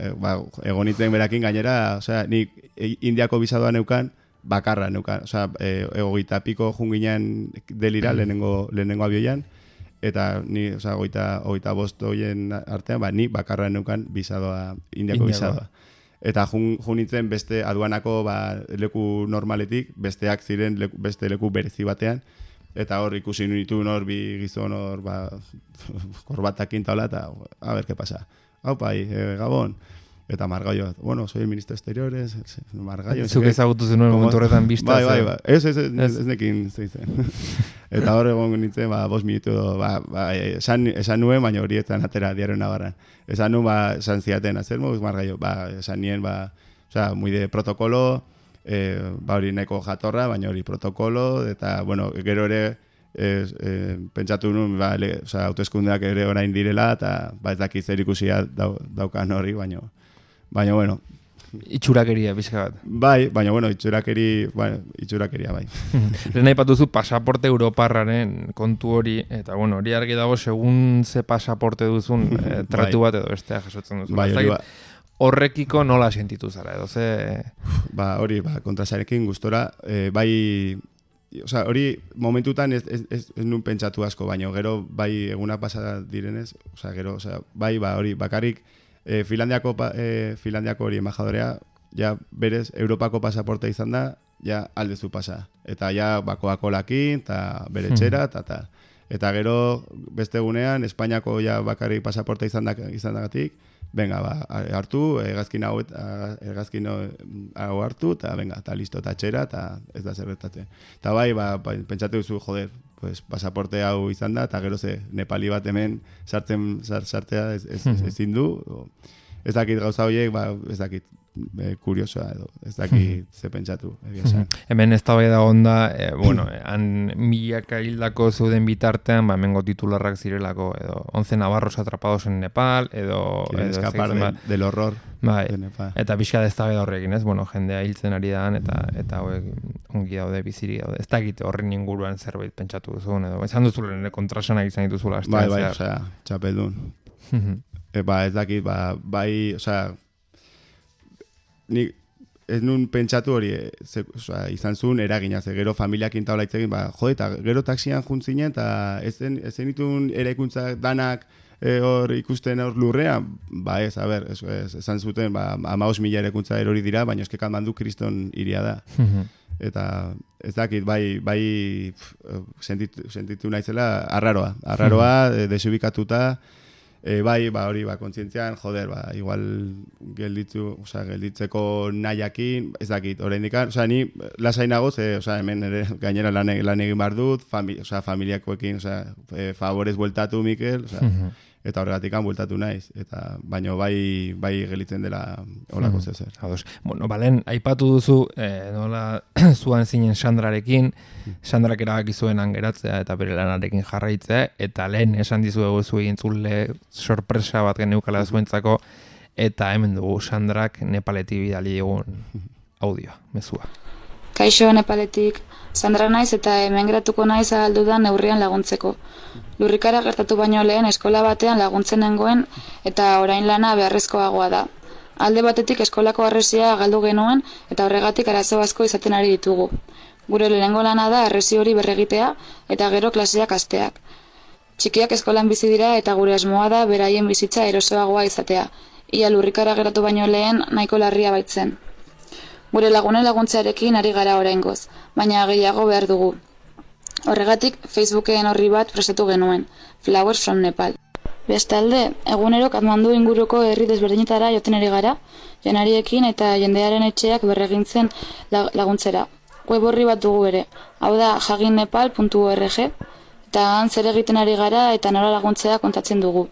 Speaker 6: egonitzen berakin gainera, osea, ni Indiako bisadoa neukan, bakarra neukan, osea, 20 jun ginen delira lehenengo abioian, eta ni, osea, 25 hoien artean, ni bakarra neukan bisadoa, Indiako bisadoa. Eta jun nintzen beste aduanako leku normaletik, besteak ziren beste leku berezi batean, eta hor ikusi nituen hor bi gizon hor korbatakin taula, eta a ver, ¿qué pasa? Aupa, Gabon. Eta Margallo, bueno, soy el ministro de Exteriores, Margallo.
Speaker 2: Zuk ezagutu zenuen momentu horretan bizta.
Speaker 6: Bai. Ez nekin zeitzen. Eta hor egon nintzen, 5 minutu, esan nuen, baina horietan atera diario Navarran. Esan nuen, esan ziaten, hacer moduz Margallo, esan nien, osea, muy de protokolo, hori nahiko jatorra, baina hori protokolo, eta, bueno, gero ere, pentsatu nuen, osea, autoeskundeak ere orain direla, eta ez dakit zer ikusia daukan hori, baina, bueno.
Speaker 2: Itxurakeria, bizka bat.
Speaker 6: Bai, baina, bueno, itxurakeria, bai.
Speaker 2: Lehen aipatuzu pasaporte europarraren kontu hori, eta, bueno, hori argi dago, segun ze pasaporte duzun, tratu bat edo bestea jasotzen duzun.
Speaker 6: Bai, hori
Speaker 2: horrekiko nola sentitu zara, edo ze...
Speaker 6: Hori, kontrasarekin gustora, bai... Osea, hori momentutan ez nun pentsatu asko, baina gero bai eguna pasa direnez, osea, gero, osea, bai, hori bakarrik Finlandiako hori embajadorea, ja berez Europako pasaporte izan da, ja aldezu pasa. Eta ja Coca-Colakin, eta bere txera, eta gero beste egunean Espainiako ja bakarrik pasaporte izan dagatik, venga, hartu, hegazkin hau hartu, eta venga, eta listo, eta txera, eta ez da zerretate. Eta bai, pentsatu duzu, joder, pues, pasaporte hau izan da, eta gero ze nepali bat hemen sartzea ezin du, ez dakit gauza horiek, ez dakit kuriosoa edo, ez dakit ze pentsatu.
Speaker 2: Hemen ez da bai da onda, bueno, han milaka hildako zeuden bitartean, hemengo titularrak zirelako, edo 11 navarros atrapados en Nepal, edo...
Speaker 6: Quieren escapar del horror de Nepal.
Speaker 2: Eta pixka da ez da bai da horrekin, ez? Bueno, jendea hiltzen ari daan, eta hauek ongi daude, biziri daude. Ez dakit horren inguruan zerbait pentsatu duzun, edo esan duzulen kontrasanak izan dituzula.
Speaker 6: Bai, osea, txapeldun. Ez dakit, bai, osea, nik ez nun pentsatu hori, izan zuen eragina, gero familiakin taula itzegin, jode, eta gero taxian juntzinen, eta ez zenitun eraikuntzak danak hor ikusten hor lurrean, ez, a ber, esan zuten, 15.000 eraikuntza erori dira, baina eske Katmandu kriston hiria da. Eta ez dakit, bai sentitu naizela arraroa, desubikatuta, bai, hori, kontzientzian, joder, igual gelditzeko nahiakin, ez dakit, oraindik, osea, ni lasainago, hemen ere gainera lan egin behar dut, familiakoekin, favorez bueltatu, Mikel, eta horregatik bueltatu naiz, baina bai gelitzen dela holako zezer.
Speaker 2: Bueno, balen, aipatu duzu, nola zuan zinen Sandrarekin, Sandrak erabaki zuen geratzea eta bere lanarekin jarraitzea, eta lehen esan dizuegu zu egin zule sorpresa bat geneukala zuentzako, eta hemen dugu Sandrak Nepaletik bidali egun audioa, mezua.
Speaker 7: Kaixo Nepaletik, Sandra naiz eta hemen geratuko naiz ahaldudan neurrian laguntzeko. Lurrikara gertatu baino lehen eskola batean laguntzen nengoen eta orain lana beharrezkoagoa da. Alde batetik eskolako harresia galdu genuen eta horregatik arazo asko izaten ari ditugu. Gure lehenengo lana da harresi hori berregitea eta gero klaseak hasteak. Txikiak eskolan bizi dira eta gure asmoa da beraien bizitza erosoagoa izatea. Ia lurrikara gertatu baino lehen nahiko larria baitzen. Gure lagunen laguntzarekin ari gara oraingoz, baina gehiago behar dugu. Horregatik, Facebooken horri bat prestatu genuen, Flowers from Nepal. Bestalde, egunero Katmandu inguruko herri desberdinetara joten ari gara, janariekin eta jendearen etxeak berregintzen laguntzera. Web horri bat dugu ere, hau da jaginnepal.org, eta han zer egiten ari gara eta nola laguntzea kontatzen dugu.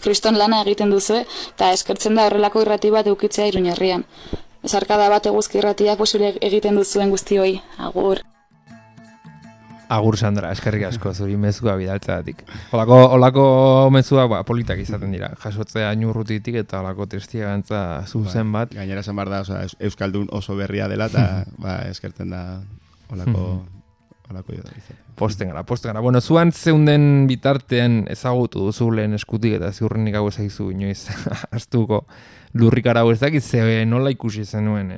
Speaker 7: Kriston lana egiten duzue, eta eskertzen da horrelako irrati bat eukitzea Iruñerrian. Ezarkada bat eguzki irratiak posible egiten duzuen guztioi, agur.
Speaker 2: Agur Sandra, eskerrik asko zuri mezua bidaltzeagatik. Olako mezuak politak izaten dira. Jasotzea inurrutitik eta olako testigantza zuzen bat.
Speaker 6: Gainera esan behar da, Euskaldun oso berria dela eta eskertzen da olako izaten.
Speaker 2: Posten gara. Bueno, zuan zeunden bitartean ezagutu duzu lehen eskutik eta ziurrenik hau ezaizu inoiz astuko lurrikara hau ez dakit ze nola ikusi zenuen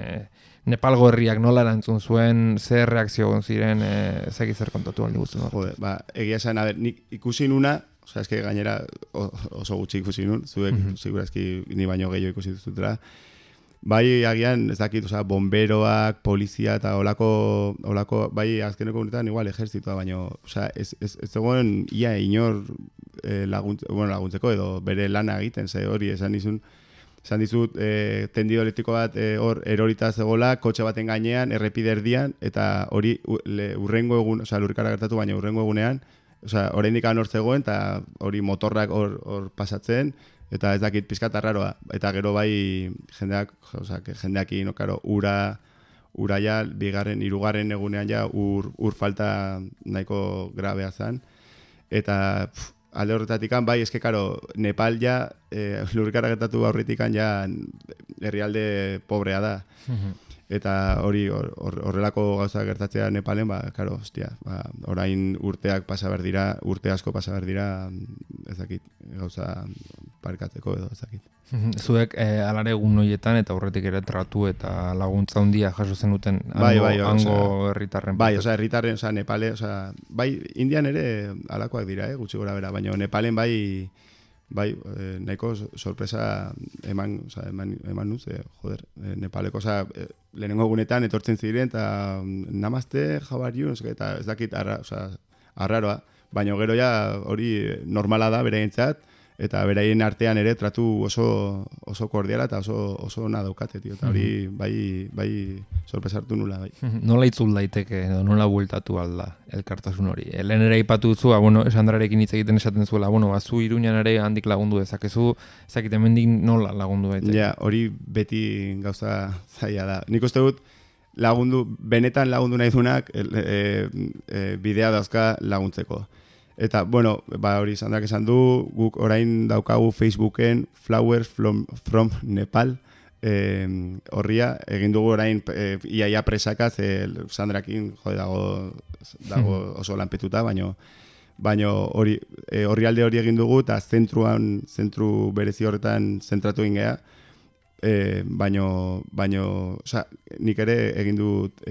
Speaker 2: Nepalgo herriak nola erantzun zuen, zer reakzio egon ziren, ezakit zer kontatu aldi guztun.
Speaker 6: Jode, egia esan, nik ikusi nuna, eske gainera oso gutxi ikusi nun, zuek segurazki ni baino gehiago ikusi duzutela. Bai, agian, ez dakit, bomberoak, polizia eta olako bai, azkeneko honetan, igual, ejertzitoa, baino, ez zegoen ia inor laguntzeko edo bere lana egiten, ze hori, esan dizut, tendido elektriko bat hor erorita zegoela, kotxe baten gainean, errepide erdian, eta hori urrengo egun, lurrikara gertatu, baina urrengo egunean, oraindik hor zegoen, eta hori motorrak hor pasatzen, eta ez dakit pizkat arraroa. Eta gero bai jendeakin, ura ja, hirugarren egunean ja, ur falta nahiko grabea zen. Eta alde horretatik, bai, eske karo, Nepal ja, lurrikara gertatu aurretik ja, herrialde pobrea da. Eta hori horrelako gauza gertatzea Nepalen, karo, hostia, orain urteak pasa behar dira, urte asko pasa behar dira, ez dakit, gauza parkatzeko edo, ez dakit.
Speaker 2: Zuek alare egun horietan eta aurretik ere tratu eta laguntza handia jaso zenuten hango herritarren.
Speaker 6: Bai, herritarren, Nepale, bai, Indian ere alakoak dira, gutxi gora bera, baina Nepalen bai, nahiko sorpresa eman nuz, joder, Nepaleko, lehenengo egunetan etortzen ziren, eta namaste, how are you, eta ez dakit arraroa, baina gero ja hori normala da beraientzat, eta beraien artean ere tratu oso kordiala eta oso ona daukate, tio, eta hori bai sorpresartu nula, bai.
Speaker 2: Nola itzul daiteke, nola bueltatu alda elkartasun hori? Lehen ere aipatu dutzu, Sandrarekin hitz egiten esaten zuela, zu Iruñan ere handik lagundu dezakezu, ezakit hemendik nola lagundu daiteke?
Speaker 6: Ja, hori beti gauza zaila da. Nik uste dut, benetan lagundu nahi dunak bidea dauzka laguntzeko. Eta, hori Sandrak esan du, guk orain daukagu Facebooken Flowers from Nepal horria, egin dugu orain iaia presakaz, Sandrakin dago oso lanpetuta, baina horri hori egin dugu, eta zentru berezi horretan zentratu egin geha, baino nik ere egin dut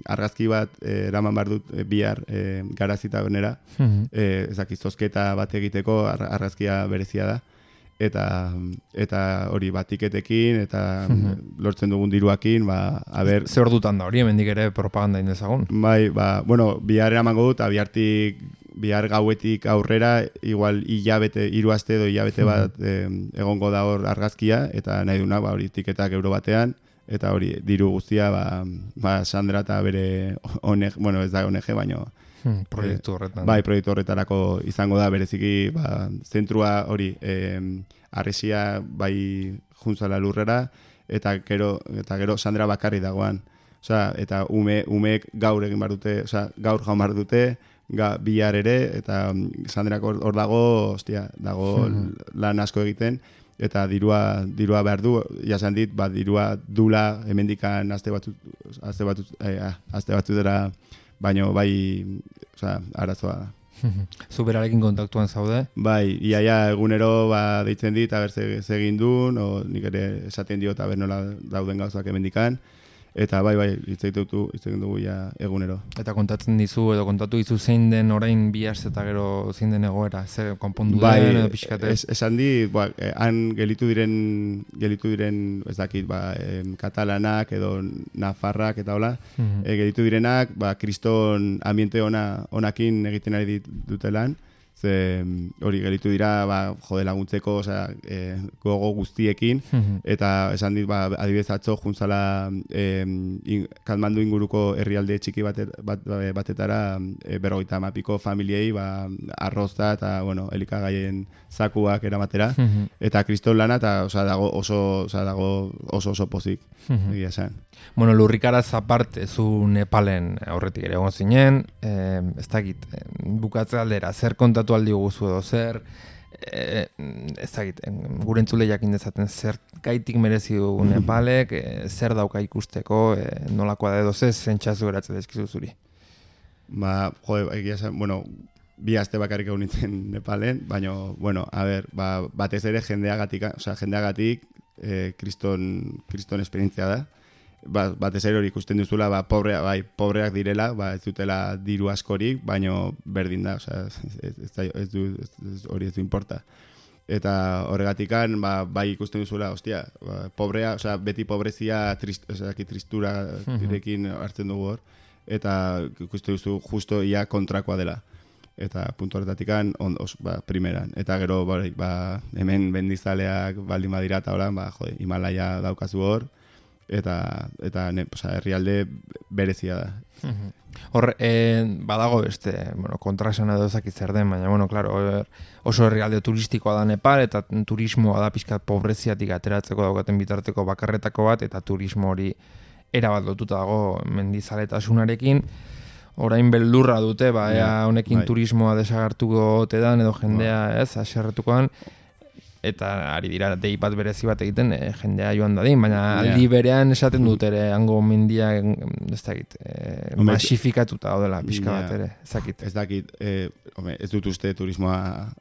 Speaker 6: argazki bat eraman behar dut bihar garazita benera, ezakit zozketa bat egiteko argazkia berezia da, eta hori tiketekin eta lortzen dugun diruakin,
Speaker 2: Ze hor dutan da hori, hemendik ere propaganda indezagun?
Speaker 6: Bai, bihar eramango dut, bihar gauetik aurrera, igual hiru aste edo hilabete bat egongo da hor argazkia, eta nahi duna, hori tiketak euro batean, eta hori diru guztia, Sandra eta bere ONG, ez da ONG, baino
Speaker 2: proiektu horretan.
Speaker 6: Bai, proiektu horretarako izango da, bereziki, zentrua hori, arresia bai juntzala lurrera, eta gero Sandra bakarri dagoan. Eta umeek gaur egin behar dute, gaur jaun behar dute, bihar ere, eta Sandrak hor dago, dago lan asko egiten, eta dirua behar du, jasan dit, dirua dula hemendikan aste batzutera, baino bai, arazoa da.
Speaker 2: Zu berarekin kontaktuan zaude?
Speaker 6: Bai, iaia egunero deitzen dit, aber ze egin duen, nik ere esaten dio eta nola dauden gauzak hemendikan, eta bai, hitz egin dugu egunero.
Speaker 2: Eta kontatu dizu zein den orain bi aste eta gero zein den egoera, ze konpondu den edo pixkate?
Speaker 6: Esan di, han gelitu diren, ez dakit, katalanak edo nafarrak eta hola, gelitu direnak, kriston ambiente onakin egiten ari dutelan, Ze hori gelitu dira, jode laguntzeko, osea, gogo guztiekin, eta esan dit, adibidez atzo, juntzala Katmandu inguruko herrialde txiki batetara, 50 familiei, arroza eta, bueno, elikagaien zakuak eramatera, eta kriston lana, eta dago oso pozik, egia esan.
Speaker 2: Bueno, lurrikaraz aparte, zu Nepalen aurretik ere egon zinen, ez dakit, bukatze aldera, zer kontatu aldi guzu edo zer, ez dakit, gure entzule jakin dezaten zer gaitik merezi du Nepalek, zer dauka ikusteko, nolakoa da edo zer zentxazu geratzen dezkizu zuri.
Speaker 6: Egia esan, bueno, 2 aste bakarrik egon nintzen Nepalen, baina, bueno, a ber, batez ere jendeagatik kriston esperientzia da. Batez ere hori ikusten duzula, pobreak direla, ez dutela diru askorik, baina berdin da, hori ez du importa. Eta horregatikan, bai ikusten duzula, pobrea, beti pobrezia tristura direkin hartzen dugu hor, eta ikusten duzu justo ia kontrakoa dela. Eta puntu horretatikan, primeran. Eta gero, hemen bendizaleak baldin badira eta horan, Himalaia daukazu hor, eta herrialde berezia da.
Speaker 2: Hor, badago beste, kontraesana edo ezakit zer den, baina, claro, oso herrialde turistikoa da Nepal, eta turismoa da pixkat pobreziatik ateratzeko daukaten bitarteko bakarretako bat, eta turismo hori erabat lotuta dago mendizaletasunarekin. Orain beldurra dute, honekin turismoa desagartuko ote dan, edo jendea aserretukoan, eta ari dira dei bat berezi bat egiten jendea joan dadin, baina aldi berean esaten dut ere hango mendia masifikatuta odela pixka bat ere, ezakit.
Speaker 6: Ez dakit, ez dut uste turismoa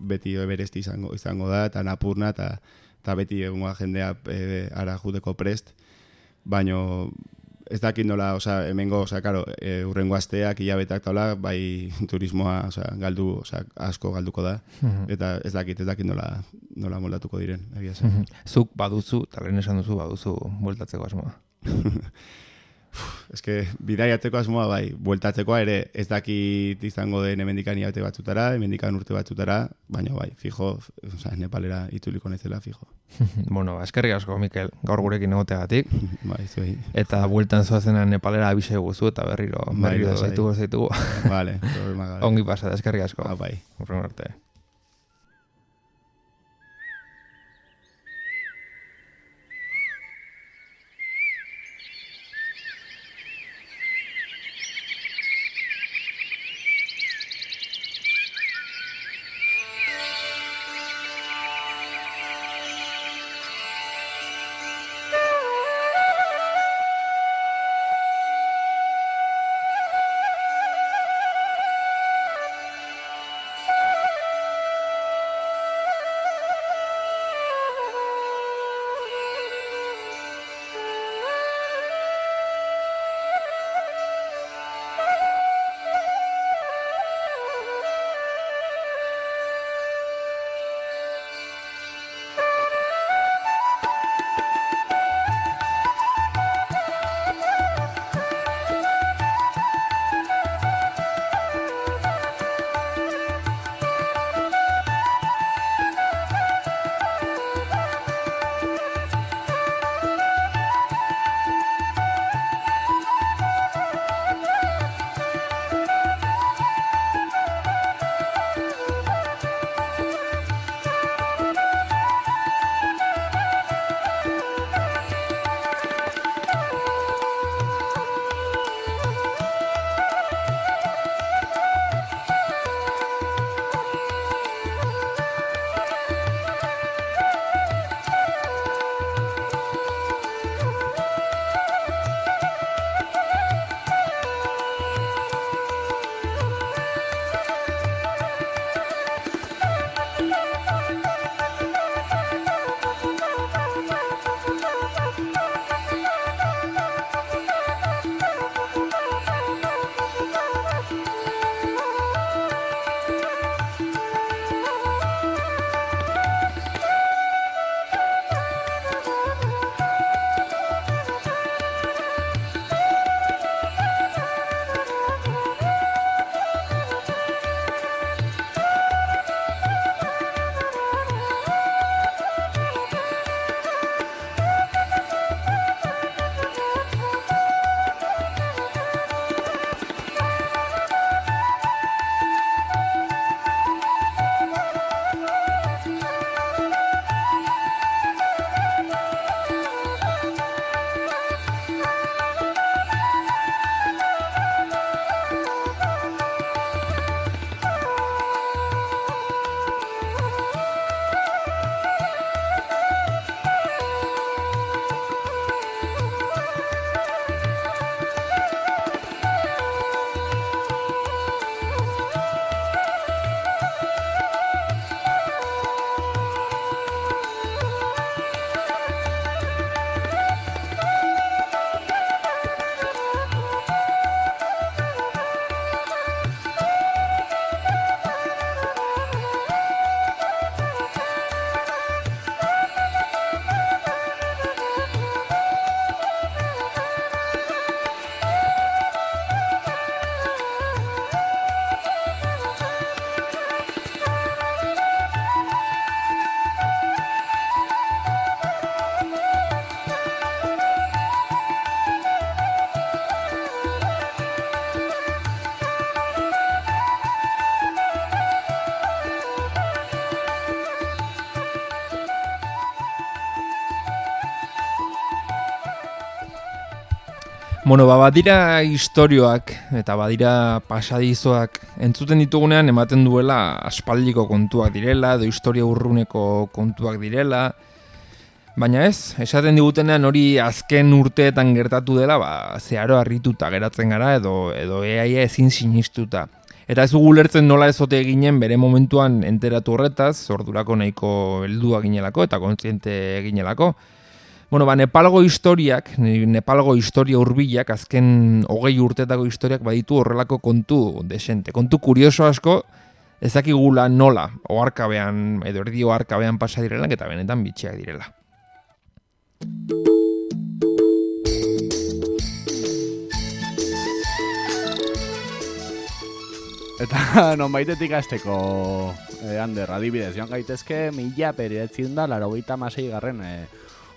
Speaker 6: beti Everest izango da, eta Napurna, eta beti egungoa jendea ara juteko prest, baina ez dakit nola, hemengo, urrengo asteak, hilabeteak taula, bai turismoa, asko galduko da, eta ez dakit nola moldatuko diren, egia zen.
Speaker 2: Zuk baduzu, eta lehen esan duzu, baduzu bueltatzeko asmoa.
Speaker 6: Eske, bidaiatzeko asmoa bai, bueltatzekoa ere ez dakit izango den hemendikan hilabete batzutara, hemendikan urte batzutara, baina bai, fijo, Nepalera itzuliko naizela, fijo.
Speaker 2: Bueno, eskerrik asko, Mikel, gaur gurekin egoteagatik.
Speaker 6: Bai, zuei.
Speaker 2: Eta bueltan zoazena Nepalera abise guzu eta berriro zaitugu.
Speaker 6: Vale, problema gabe.
Speaker 2: Ongi pasada, eskerrik asko.
Speaker 6: Bai.
Speaker 2: Urren arte. Bueno, badira istorioak eta badira pasadizoak entzuten ditugunean ematen duela aspaldiko kontuak direla, edo historia urruneko kontuak direla, baina ez, esaten digutenean hori azken urteetan gertatu dela, zeharo harrituta geratzen gara edo eaia ezin sinistuta. Eta ez dugu lertzen nola ezote ginen bere momentuan enteratu horretaz, ordurako nahiko heldua ginelako eta kontziente ginelako. Bueno, Nepalgo historiak, Nepalgo historia hurbilak, azken 20 urtetako historiak baditu horrelako kontu desente. Kontu kurioso asko, ezakigula nola, oharkabean, edo erdi oharkabean pasa direla, eta benetan bitxiak direla.
Speaker 3: Eta nonbaitetik hasteko, Ander, adibidez, joan gaitezke 1986 garren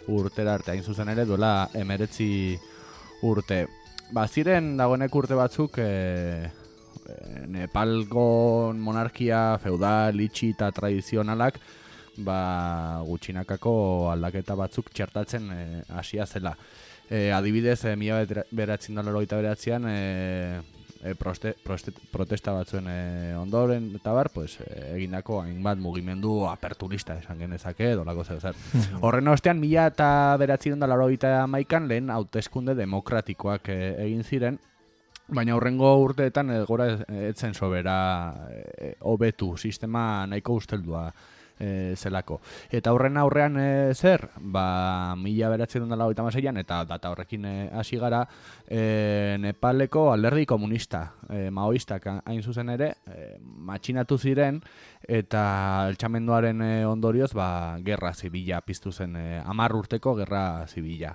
Speaker 3: urtera arte, hain zuzen ere duela 19 urte. Ziren dagoenek urte batzuk Nepalgo monarkia feudal, itxi eta tradizionalak gutxinakako aldaketa batzuk txertatzen hasia zela. Adibidez, 1989an protesta batzuen ondoren eta egindako hainbat mugimendu aperturista esan genezake dolako zer. Horren ostean 1991an lehen hauteskunde demokratikoak egin ziren, baina hurrengo urteetan gora etzen sobera hobetu sistema nahiko usteldua zelako. Eta horren aurrean zer? 1996an eta data horrekin hasi gara Nepaleko alderdi komunista, maoistak hain zuzen ere, matxinatu ziren eta altxamenduaren ondorioz gerra zibila piztu zen, 10 urteko gerra zibila.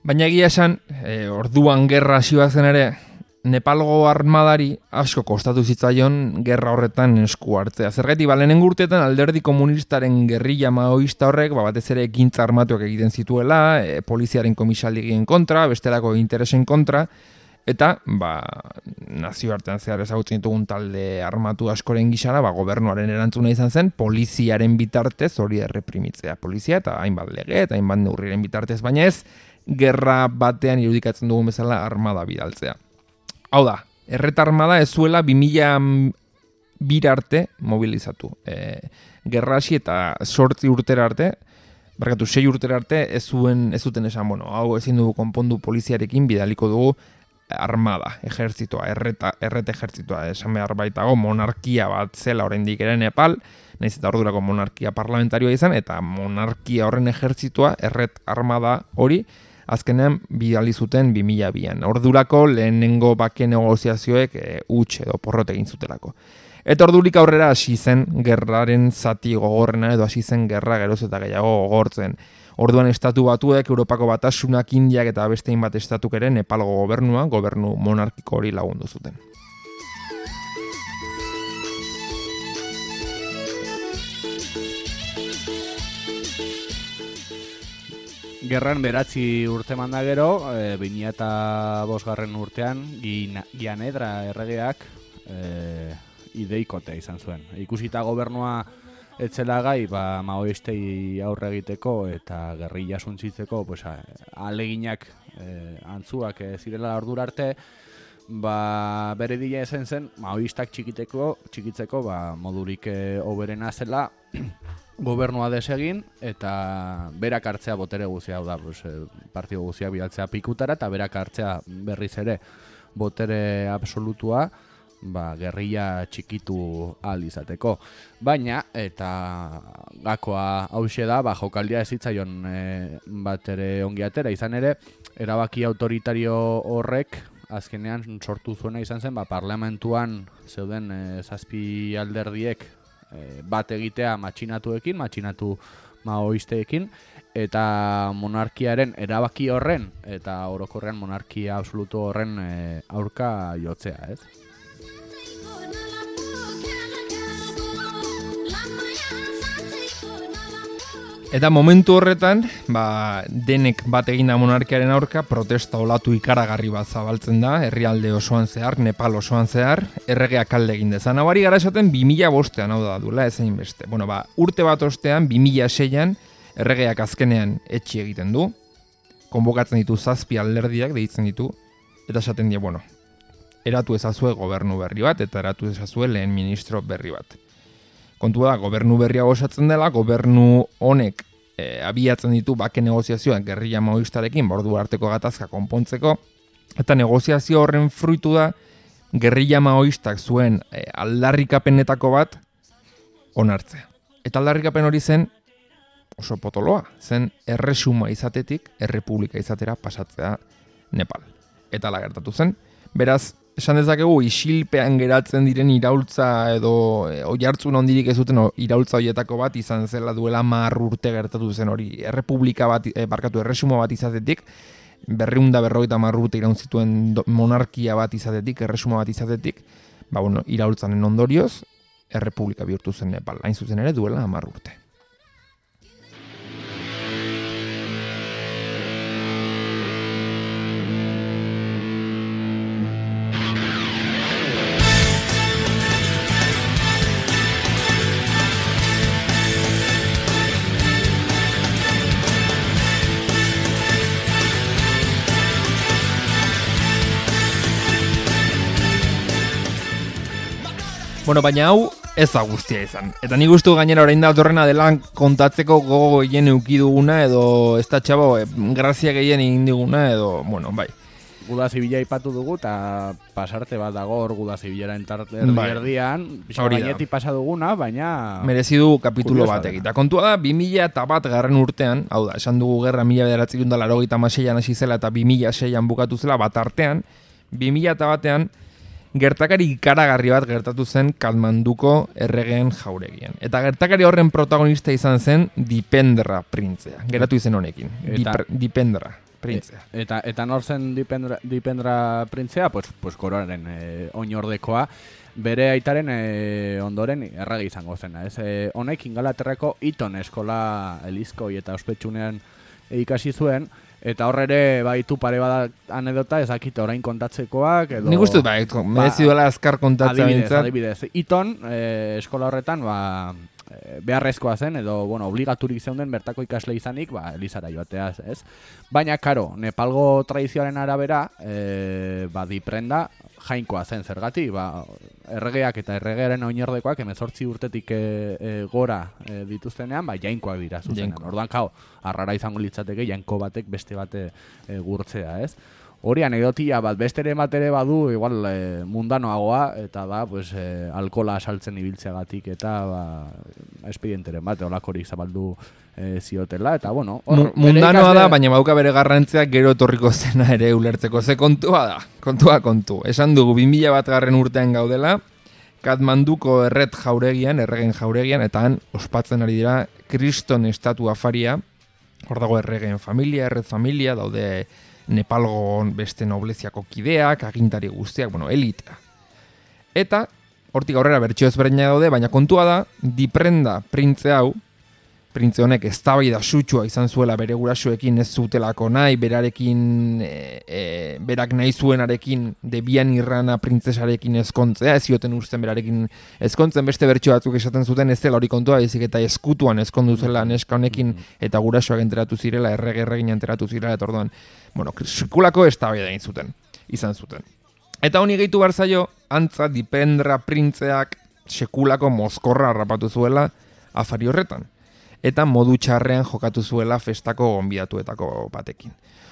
Speaker 2: Baina egia esan, orduan gerra hasi zen ere, Nepalgo armadari asko kostatu zitzaion gerra horretan esku hartzea. Zergatik, lehenengo urteetan alderdi komunistaren gerrilla maoista horrek, batez ere ekintza armatuak egiten zituela, poliziaren komisaldegien kontra, bestelako interesen kontra, eta nazioartean zehar ezagutzen ditugun talde armatu askoren gisara, gobernuaren erantzuna izan zen, poliziaren bitartez hori erreprimitzea. Polizia eta hainbat lege eta hainbat neurriren bitartez, baina ez gerra batean irudikatzen dugun bezala armada bidaltzea. Hau da, erreta armada ez zuela 2002 arte mobilizatu. Gerra hasi eta 8 urtera arte, 6 urtera arte ez zuten esan, hau ezin dugu konpondu poliziarekin bidaliko dugu armada, ejertzitoa, erreta ejertzitoa, esan behar baitago monarkia bat zela oraindik ere Nepal, nahiz eta ordurako monarkia parlamentarioa izan, eta monarkia horren ejertzitoa, erret armada hori, azkenean bidali zuten 2002an. Ordurako lehenengo bake negoziazioek huts edo porrot egin zutelako. Eta ordurik aurrera hasi zen gerraren zati gogorrena edo hasi zen gerra geroz eta gehiago gogortzen. Orduan estatu batuek, Europako Batasunak, Indiak eta beste hainbat estatuk ere Nepalgo gobernu monarkiko hori lagundu zuten.
Speaker 3: Gerran 9 urte manda gero, 2005 urtean, Gianedra erregeak ideikotea izan zuen. Ikusita gobernua etzela gai, maoistei aurre egiteko eta gerrilla suntzitzeko, aleginak antzuak zirela ordura arte, bere dila ezen zen, maoistak txikitzeko modurik hoberena zela, gobernua desegin eta berak hartzea botere guzia, hau da, partido guzia bidaltzea pikutara eta berak hartzea berriz ere botere absolutua gerrilla txikitu ahal izateko. Baina, eta gakoa hauxe da, jokaldia ez zitzaion bat ere ongi atera, izan ere, erabaki autoritario horrek azkenean sortu zuena izan zen, parlamentuan zeuden 7 alderdiek bat egitea matxinatu maoisteekin, eta monarkiaren erabaki horren, eta orokorrean monarkia absolutu horren aurka jotzea, ez?
Speaker 2: Eta momentu horretan, denek bat eginda monarkiaren aurka, protesta olatu ikaragarri bat zabaltzen da, herrialde osoan zehar, Nepal osoan zehar, erregeak alde egin dezan. Hau gara esaten 2005an, hau da duela, ezain beste. Urte bat ostean, 2006an, erregeak azkenean etxi egiten du, konbokatzen ditu 7 alderdiak deitzen ditu, eta esaten die, bueno, eratu ezazue gobernu berri bat, eta eratu ezazue lehen ministro berri bat. Kontua da, gobernu berria osatzen dela, gobernu honek abiatzen ditu bake negoziazioak gerrilla maoistarekin, ordu arteko gatazka konpontzeko, eta negoziazio horren fruitu da, gerrilla maoistak zuen aldarrikapenetako bat onartzea. Eta aldarrikapen hori zen oso potoloa, zen erresuma izatetik errepublika izatera pasatzea Nepal. Eta ala gertatu zen. Beraz, esan dezakegu isilpean geratzen diren iraultza edo oihartzun hondirik ez zuten iraultza hoietako bat izan zela duela 10 urte gertatu zen hori. Errepublika bat, erresuma bat izatetik, 250 urte iraun zituen monarkia bat izatetik, erresuma bat izatetik, iraultzanen ondorioz, errepublika bihurtu zen Nepal, hain zuzen ere duela 10 urte. Bueno, baina hau ez da guztia izan. Eta nik uste gainera orain da datorrena dela kontatzeko gogo gehien eduki duguna edo ez da txabo grazia gehien egin diguna edo, bueno, bai.
Speaker 3: Guda zibila ipatu dugu eta pasarte bat dago hor Guda zibilaren erdian, gainetik pasa duguna, baina
Speaker 2: merezi du kapitulo bat egita. Kontua da 2001 garren urtean, hau da, esan dugu gerra 1986an hasi zela eta 2006an bukatu zela bat artean, 2001an gertakari ikaragarri bat gertatu zen Katmanduko erregeen jauregian. Eta gertakari horren protagonista izan zen Dipendra printzea. Geratu izen honekin. Dipendra printzea.
Speaker 3: Eta nor zen Dipendra printzea? Pues koroaren oinordekoa. Bere aitaren ondoren errege izango zena. Honek Ingalaterrako Eton eskola elizkoi eta ospetsunean ikasi zuen. Eta hor ere baitu pare bat anedota ezakite orain kontatzekoak edo...
Speaker 2: Nik uste merezi duela azkar kontatzea bintzat.
Speaker 3: Adibidez. Eton eskola horretan beharrezkoa zen edo obligaturik zeunden bertako ikasle izanik elizara joatea, ez? Baina, karo, Nepalgo tradizioaren arabera Diprenda jainkoa zen zergatik, erregeak eta erregearen oinordekoak 18 urtetik gora dituztenean, jainkoak dira zuzenean. Orduan, arrara izango litzateke jainko batek beste bate gurtzea, ez? Hori anekdotia bat, besteren bat ere badu, igual mundanoagoa, eta da, alkola asaltzen ibiltzeagatik eta espedienteren bat, olakorik zabaldu ziotela, eta bueno...
Speaker 2: Mundanoa da, baina bauka bere garrantziak gero etorriko zena ere ulertzeko. Ze kontua da, kontu. Esan dugu, 2001 garren urtean gaudela, Katmanduko erregen jauregian, eta han ospatzen ari dira Kriston estatu afaria, hor dago erregen familia, erret familia, daude Nepalgo beste nobleziako kideak, agintari guztiak, elitea. Eta, hortik aurrera bertxio ezberdina daude, baina kontua da, Diprenda printze hau, printze honek eztabaida sutsua izan zuela bere gurasoekin ez zutelako nahi, berak nahi zuenarekin Debian Irrana printzesarekin ezkontzea, ez zioten usten berarekin ezkontzen, beste bertxio batzuk esaten zuten ez dela hori kontua, ezik eta eskutuan ezkondu zela neska honekin eta gurasoak enteratu zirela, erregin enteratu zirela, eta orduan, sekulako eztabaida izan zuten. Eta honi gehitu behar zaio, antza Dipendra printzeak sekulako mozkorra harrapatu zuela afari horretan. Eta modu txarrean jokatu zuela festako gonbidatuetako batekin.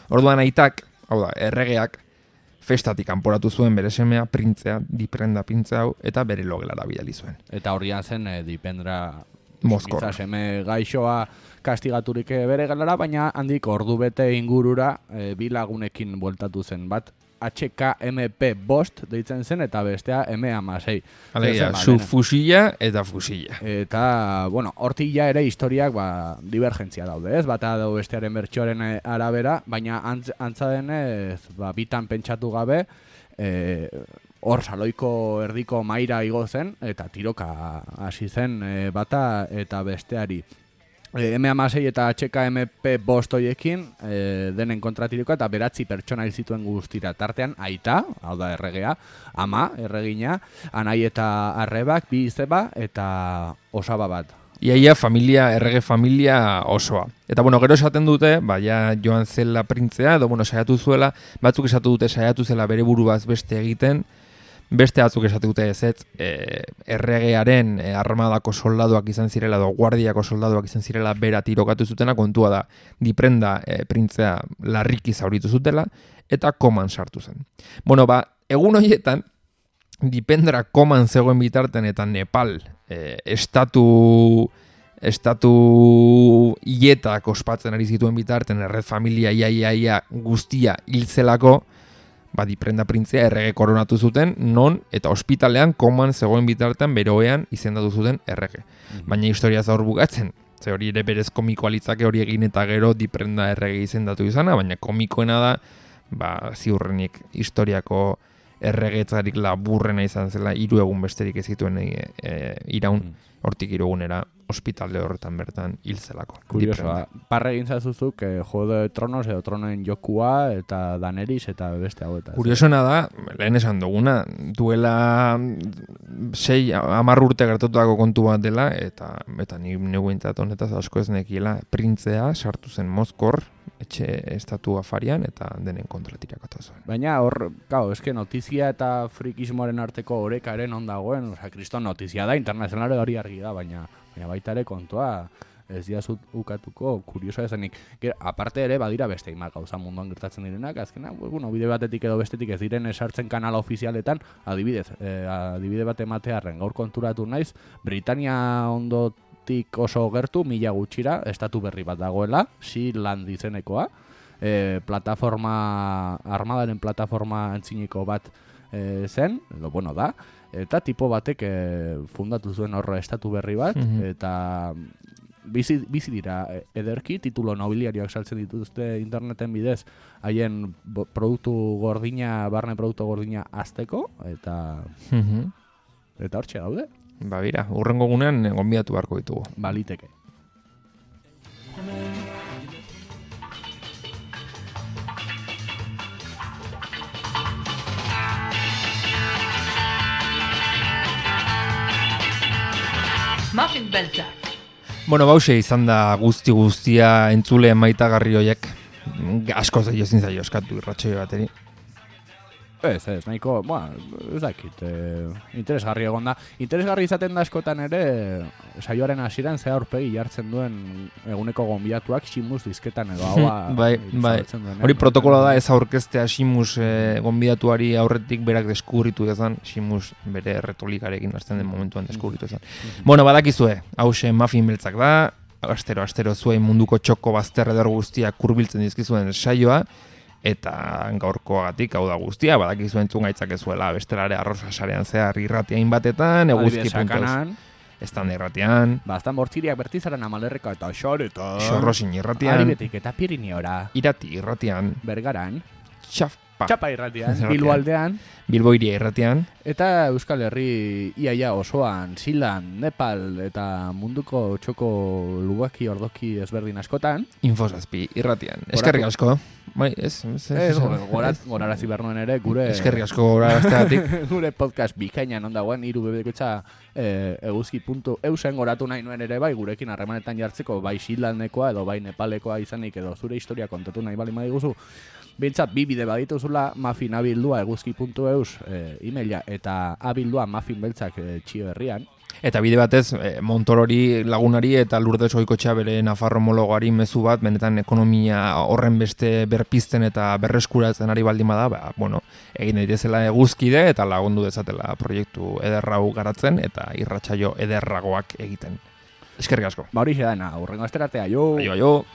Speaker 2: Orduan aitak, hau da, erregeak, festatik kanporatu zuen bere semea, printzea, Diprenda printzea hau, eta bere logelara bidali zuen.
Speaker 3: Eta horrian zen Dipendra
Speaker 2: mozkorra.
Speaker 3: Seme gaixoa kastigaturik bere gelara, baina handik ordu bete ingurura bi lagunekin bueltatu zen bat. HKMP bost deitzen zen eta bestea M16.
Speaker 2: Alegia, fusila eta fusila.
Speaker 3: Eta, hortik ja ere historiak divergentzia daude, ez? Bata dago bestearen bertsioaren arabera, baina antza denez, bitan pentsatu gabe, hor saloiko erdiko maira igo zen, eta tiroka hasi zen bata eta besteari. M16 eta HKMP bost hoiekin denen kontratirikoa eta 9 pertsona hil zituen guztira. Tartean aita, hau da erregea, ama erregina, anai eta arrebak, 2 izeba eta osaba bat.
Speaker 2: Iaia familia, errege familia osoa. Eta bueno, gero esaten dute, ja joan zela printzea, edo bueno, saiatu zuela, batzuk esatu dute saiatu zela bere buruaz beste egiten, beste batzuk esatu dute ez, erregearen armadako soldaduak izan zirela, edo guardiako soldaduak izan zirela bera tirokatu zutena, kontua da, Diprenda printzea larriki zauritu zutela, eta koman sartu zen. Bueno, egun horietan, Dipendra koman zegoen bitarten eta Nepal estatu hietak ospatzen ari zituen bitarten erred familia ia guztia hilzelako, Diprenda printzea errege koronatu zuten, non eta ospitalean koman zegoen bitartean beroean izendatu zuten errege. Baina historia zaur bukatzen, ze hori ere berez komikoa litzake hori egin eta gero Diprenda errege izendatu izana, baina komikoena da, ziurrenik historiako erregetzarik laburrena izan zela, 3 egun besterik ez zituen iraun, hortik 3 egunera ospitale horretan bertan hilzelako.
Speaker 3: Kuriosoa, parre egin zazuzuk Juego de Tronos edo Tronoen jokua eta Daenerys eta beste hauetaz.
Speaker 2: Kuriosoena da, lehen esan duguna, duela 6-10 urte gertatutako kontu bat dela, eta ni neuentzat honetaz asko ez nekiela, printzea sartu zen Mozkor, etxe estatu afarian, eta denen kontra tirakatu zuen.
Speaker 3: Baina hor, eske notizia eta frikismoaren arteko orekaren ondagoen, kriston notizia da, internazionale hori argi da, baina baita ere kontua ez diazut ukatuko kuriosoa ezanik. Aparte ere, badira beste imak gauza munduan gertatzen direnak, azkena, bide batetik edo bestetik ez diren esartzen kanala ofizialetan, adibide bat ematearren gaur konturatu naiz, Britania ondotik oso gertu, 1000 gutxira, estatu berri bat dagoela, Sealand izenekoa, armadaren plataforma antziniko bat zen, edo da, eta tipo batek fundatu zuen horre estatu berri bat, eta bizi dira ederki, titulo nobiliarioak saltzen dituzte interneten bidez, haien produktu gordina, barne produktu gordina azteko, eta hortxe daude.
Speaker 2: Bira, urrengo gunean gonbidatu beharko ditugu.
Speaker 3: Baliteke.
Speaker 1: Muffin beltzak.
Speaker 2: Bueno, bause izan da guztia entzule maitagarri hoiek. Asko zaio ezin zaio eskatu irratxoi bateri.
Speaker 3: Ez, nahiko, ez dakit, interesgarri egon da. Interesgarri izaten da askotan ere, saioaren hasieran ze aurpegi jartzen duen eguneko gonbidatuak Ximus dizketan edo haua.
Speaker 2: Bai. Hori protokolo da ez aurkeztea Ximus gonbidatuari aurretik berak deskubritu dezan, Ximus bere retolikarekin hasten den momentuan deskubritu dezan. Bueno, badakizue, hause Muffin beltzak da, astero zuen munduko txoko bazter eder guztiak hurbiltzen dizkizuen saioa, eta gaurkoagatik hau da guztia, badakizu entzun gaitzakezuela bestelare arrosa sarean zehar irratiain batetan, eguzki.eus, estan irratian,
Speaker 3: bastan bortziriak bertizaren Amalerreka eta Xoretan,
Speaker 2: Xorrosin irratian,
Speaker 3: Aribetik eta Pirineora,
Speaker 2: Irati irratian,
Speaker 3: Bergaran,
Speaker 2: Txapa
Speaker 3: irratian, Bilbo aldean,
Speaker 2: Bilbo iria irratian,
Speaker 3: eta Euskal Herri iaia osoan, Sealand, Nepal eta munduko txoko lugaki ordoki ezberdin askotan,
Speaker 2: Infosazpi irratian. Eskerrik asko. Bai,
Speaker 3: gorarazi behar nuen ere, gure...
Speaker 2: Eskerrik asko gorarazteagatik.
Speaker 3: Gure podcast bikainan ondagoen, irubebekotxa eguzki.eusen goratu nahi nuen ere, bai, gurekin harremanetan jartzeko, bai Sealandekoa edo bai Nepalekoa izanik edo zure historia kontatu nahi bali madiguzu. Bintzat, 2 bide badituzula, Muffin abildua eguzki.eus emaila eta abildua Muffin beltzak txio herrian.
Speaker 2: Eta bide batez, Montorori lagunari eta Lourdes Oikotxea bere Nafarro homologoari mezu bat, benetan ekonomia horren beste berpizten eta berreskuratzen ari baldin bada, egin daitezela eguzkide eta lagundu dezatela proiektu ederrau garatzen eta irratsaio ederragoak egiten. Eskerrik asko.
Speaker 3: Hori dena, urrengo asteratea, jo!
Speaker 2: Aio!